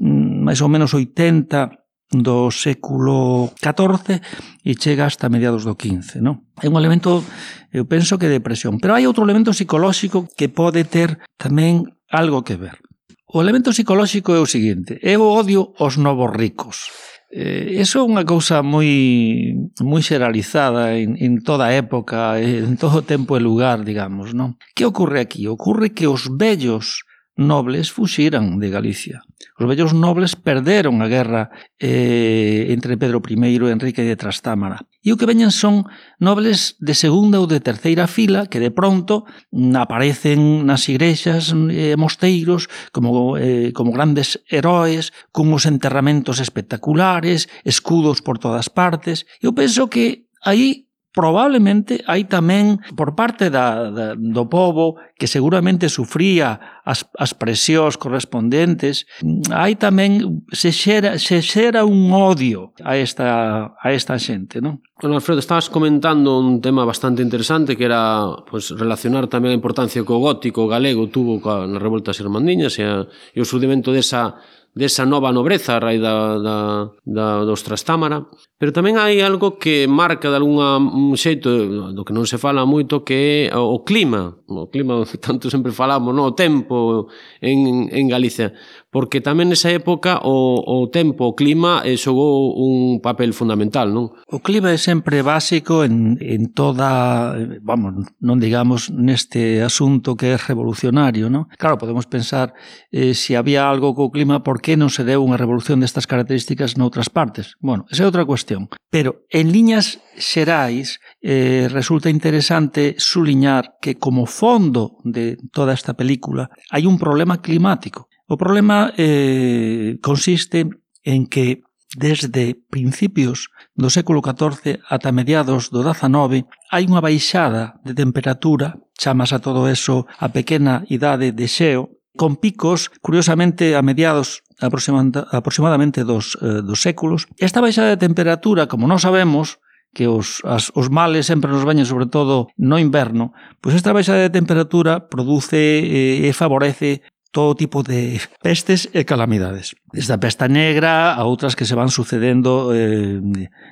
máis ou menos oitenta do século catorce e chega hasta mediados do quince, non? É un elemento, eu penso que de presión. Pero hai outro elemento psicolóxico que pode ter tamén algo que ver. O elemento psicolóxico é o seguinte: é o odio aos novos ricos. Eh, eso é unha cousa moi moi xeralizada en, en toda época, en todo tempo e lugar, digamos, non? Que ocorre aquí? Ocorre que os vellos nobles fuxiran de Galicia. Os vellos nobles perderon a guerra eh, entre Pedro primeiro e Enrique de Trastámara. E o que veñen son nobles de segunda ou de terceira fila que de pronto aparecen nas igrexas e eh, mosteiros como, eh, como grandes heróis, con os enterramentos espectaculares, escudos por todas partes. Eu penso que aí probablemente hai tamén por parte da, da, do povo que seguramente sufría as, as presións correspondentes, hai tamén se xera, se xera un odio a esta, a esta xente, non? Bueno, Alfredo, estabas comentando un tema bastante interesante que era pues, relacionar tamén a importancia que o gótico galego tuvo ca, nas revoltas irmandiñas e, a, e o surdimento desa desa nova nobreza a raíz da, da, da, dos Trastámara, pero tamén hai algo que marca de alguna un xeito do que non se fala moito, que é o clima, o clima tanto sempre falamos, no? O tempo en, en Galicia, porque tamén nesa época o, o tempo, o clima eh, xogou un papel fundamental, non? O clima é sempre básico en, en toda, vamos, non digamos neste asunto que é revolucionario, non? Claro, podemos pensar eh, se había algo co clima, por que non se deu unha revolución destas características noutras partes? Bueno, esa é outra cuestión. Pero, en liñas xerais, eh, resulta interesante suliñar que como fondo de toda esta película hai un problema climático. O problema eh, consiste en que desde principios do século catorce ata mediados do dezanove hai unha baixada de temperatura, chamas a todo eso a pequena idade de xeo, con picos, curiosamente, a mediados aproximadamente dos, eh, dos séculos. Esta baixada de temperatura, como non sabemos, que os, as, os males sempre nos veñen sobre todo no inverno, pois esta baixada de temperatura produce e eh, favorece todo tipo de pestes e calamidades. Desde a pesta negra a outras que se van sucedendo eh,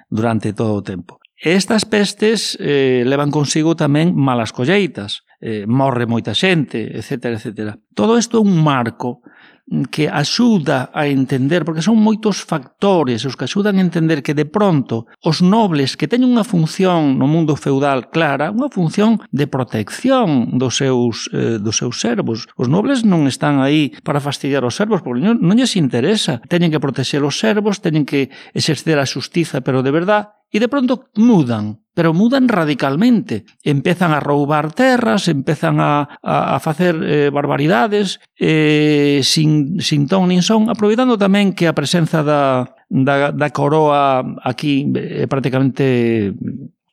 durante todo o tempo. Estas pestes eh, levan consigo tamén malas colleitas, eh, morre moita xente, etcétera, etcétera. Todo isto é un marco que axuda a entender, porque son moitos factores os que axudan a entender que de pronto os nobles que teñen unha función no mundo feudal clara, unha función de protección dos seus, eh, dos seus servos. Os nobles non están aí para fastidiar os servos, porque non, non lles interesa. Teñen que protexer os servos, teñen que exercer a xustiza, pero de verdad, e de pronto mudan, pero mudan radicalmente. Empezan a roubar terras, empezan a, a, a facer eh, barbaridades eh, sin, sin ton nin son, aproveitando tamén que a presenza da, da, da coroa aquí é eh, prácticamente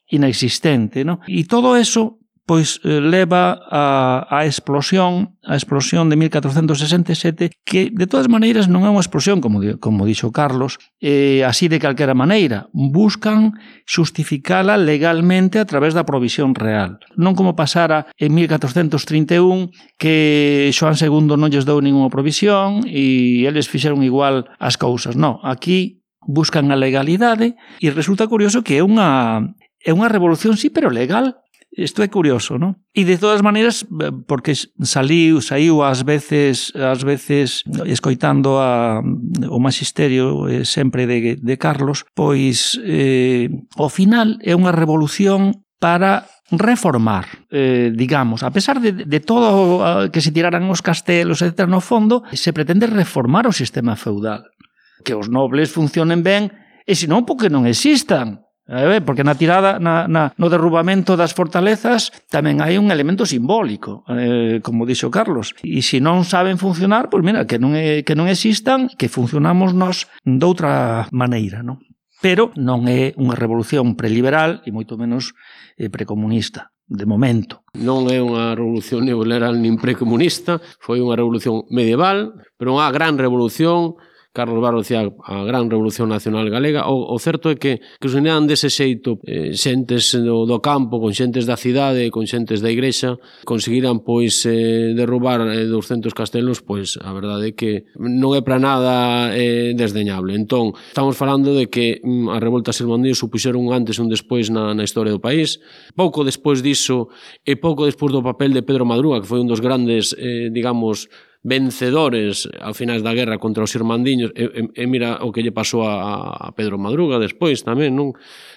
inexistente, ¿no? E todo eso pois eh, leva a, a explosión, a explosión de mil catrocentos sesenta e sete, que de todas maneiras non é unha explosión, como, como dixo Carlos, eh, así de calquera maneira. Buscan xustificala legalmente a través da provisión real. Non como pasara en mil catrocentos trinta e un, que Xoán segundo non lles dou ninguna provisión e eles fixeron igual as cousas. Non, aquí buscan a legalidade e resulta curioso que é unha, é unha revolución, sí, pero legal. Isto é curioso, non? E de todas maneiras, porque saliu, saiu ás veces, ás veces escoitando a, o magisterio eh, sempre de, de Carlos, pois eh, ao final é unha revolución para reformar, eh, digamos, a pesar de, de todo que se tiraran os castelos, etcétera, no fondo, se pretende reformar o sistema feudal. Que os nobles funcionen ben, e senón porque non existan. Porque na tirada, na, na, no derrubamento das fortalezas tamén hai un elemento simbólico, eh, como dixo Carlos. E se non saben funcionar, pois mira, que non, é, que non existan, que funcionamos nós doutra maneira, non? Pero non é unha revolución preliberal e moito menos eh, precomunista. De momento. Non é unha revolución neoliberal nin precomunista, foi unha revolución medieval, pero unha gran revolución. Carlos Barro decía a gran revolución nacional galega. O, o certo é que, que os unían dese xeito eh, xentes do, do campo con xentes da cidade, con xentes da igrexa, conseguiran pois eh, derrubar eh, doscentos castelos, pois a verdade é que non é para nada eh, desdeñable. Entón, estamos falando de que mm, as revoltas irmandiñas supuxeron un antes e un despois na, na historia do país. Pouco despois diso e pouco despois do papel de Pedro Madruga, que foi un dos grandes, eh, digamos, vencedores ao finais da guerra contra os irmandiños, e, e, e mira o que lle pasou a, a Pedro Madruga despois tamén, non?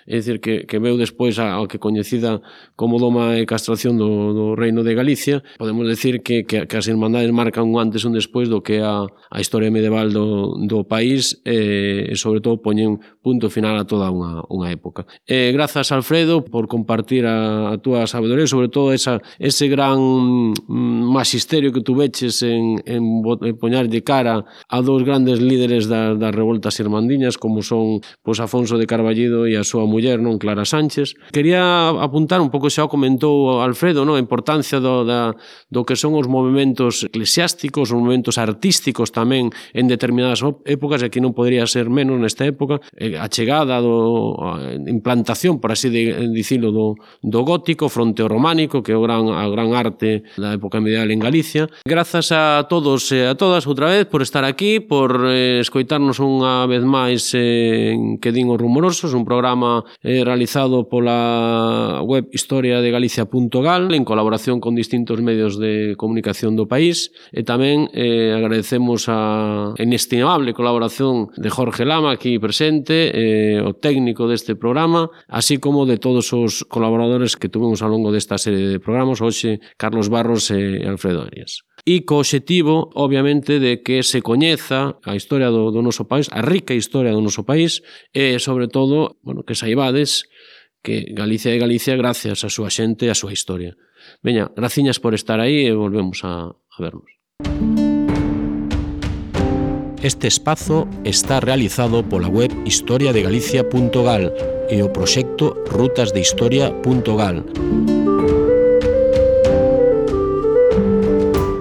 É dicir, que, que veu despois ao que coñecida como doma e castración do, do Reino de Galicia. Podemos decir que, que, que as irmandades marcan un antes e un despois do que a, a historia medieval do, do país e, e sobre todo poñen punto final a toda unha, unha época. E, grazas, Alfredo, por compartir a, a túa sabedoría, sobre todo esa, ese gran magisterio que tu veches en, en, en poñar de cara a dous grandes líderes das, das revoltas irmandiñas, como son pois, Afonso de Carballido e a súa muller, non, Clara Sánchez. Quería apuntar un pouco, xa o comentou Alfredo, non, a importancia do, da, do que son os movimentos eclesiásticos, os movimentos artísticos tamén en determinadas épocas, e aquí non podría ser menos nesta época, a chegada do a implantación, por así de, dicilo, do, do gótico fronte ao románico, que é o gran, a gran arte da época medieval en Galicia. Grazas a todos e a todas outra vez por estar aquí, por eh, escoitarnos unha vez máis eh, en Que din os rumorosos, un programa eh, realizado pola web historia de galicia punto gal en colaboración con distintos medios de comunicación do país, e tamén eh, agradecemos a inestimable colaboración de Jorge Lama aquí presente, eh, o técnico deste programa, así como de todos os colaboradores que tuvemos ao longo desta serie de programas, hoxe Carlos Barros e Alfredo Arias. E co obxectivo, obviamente, de que se coñeza a historia do, do noso país, a rica historia do noso país, e, sobre todo, bueno, que saibades que Galicia é Galicia gracias a súa xente e a súa historia. Veña, graciñas por estar aí e volvemos a, a vernos. Este espazo está realizado pola web historia de galicia punto gal e o proxecto rutas de historia punto gal.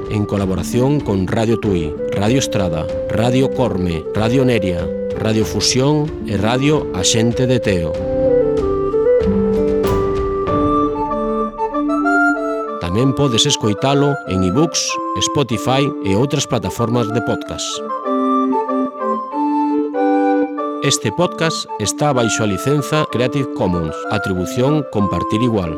En colaboración con Radio Tui, Radio Estrada, Radio Corme, Radio Neria, Radio Fusión e Radio Axente de Teo. Tamén podes escoitalo en iBooks, Spotify e outras plataformas de podcast. Este podcast está baixo a licenza Creative Commons, atribución compartir igual.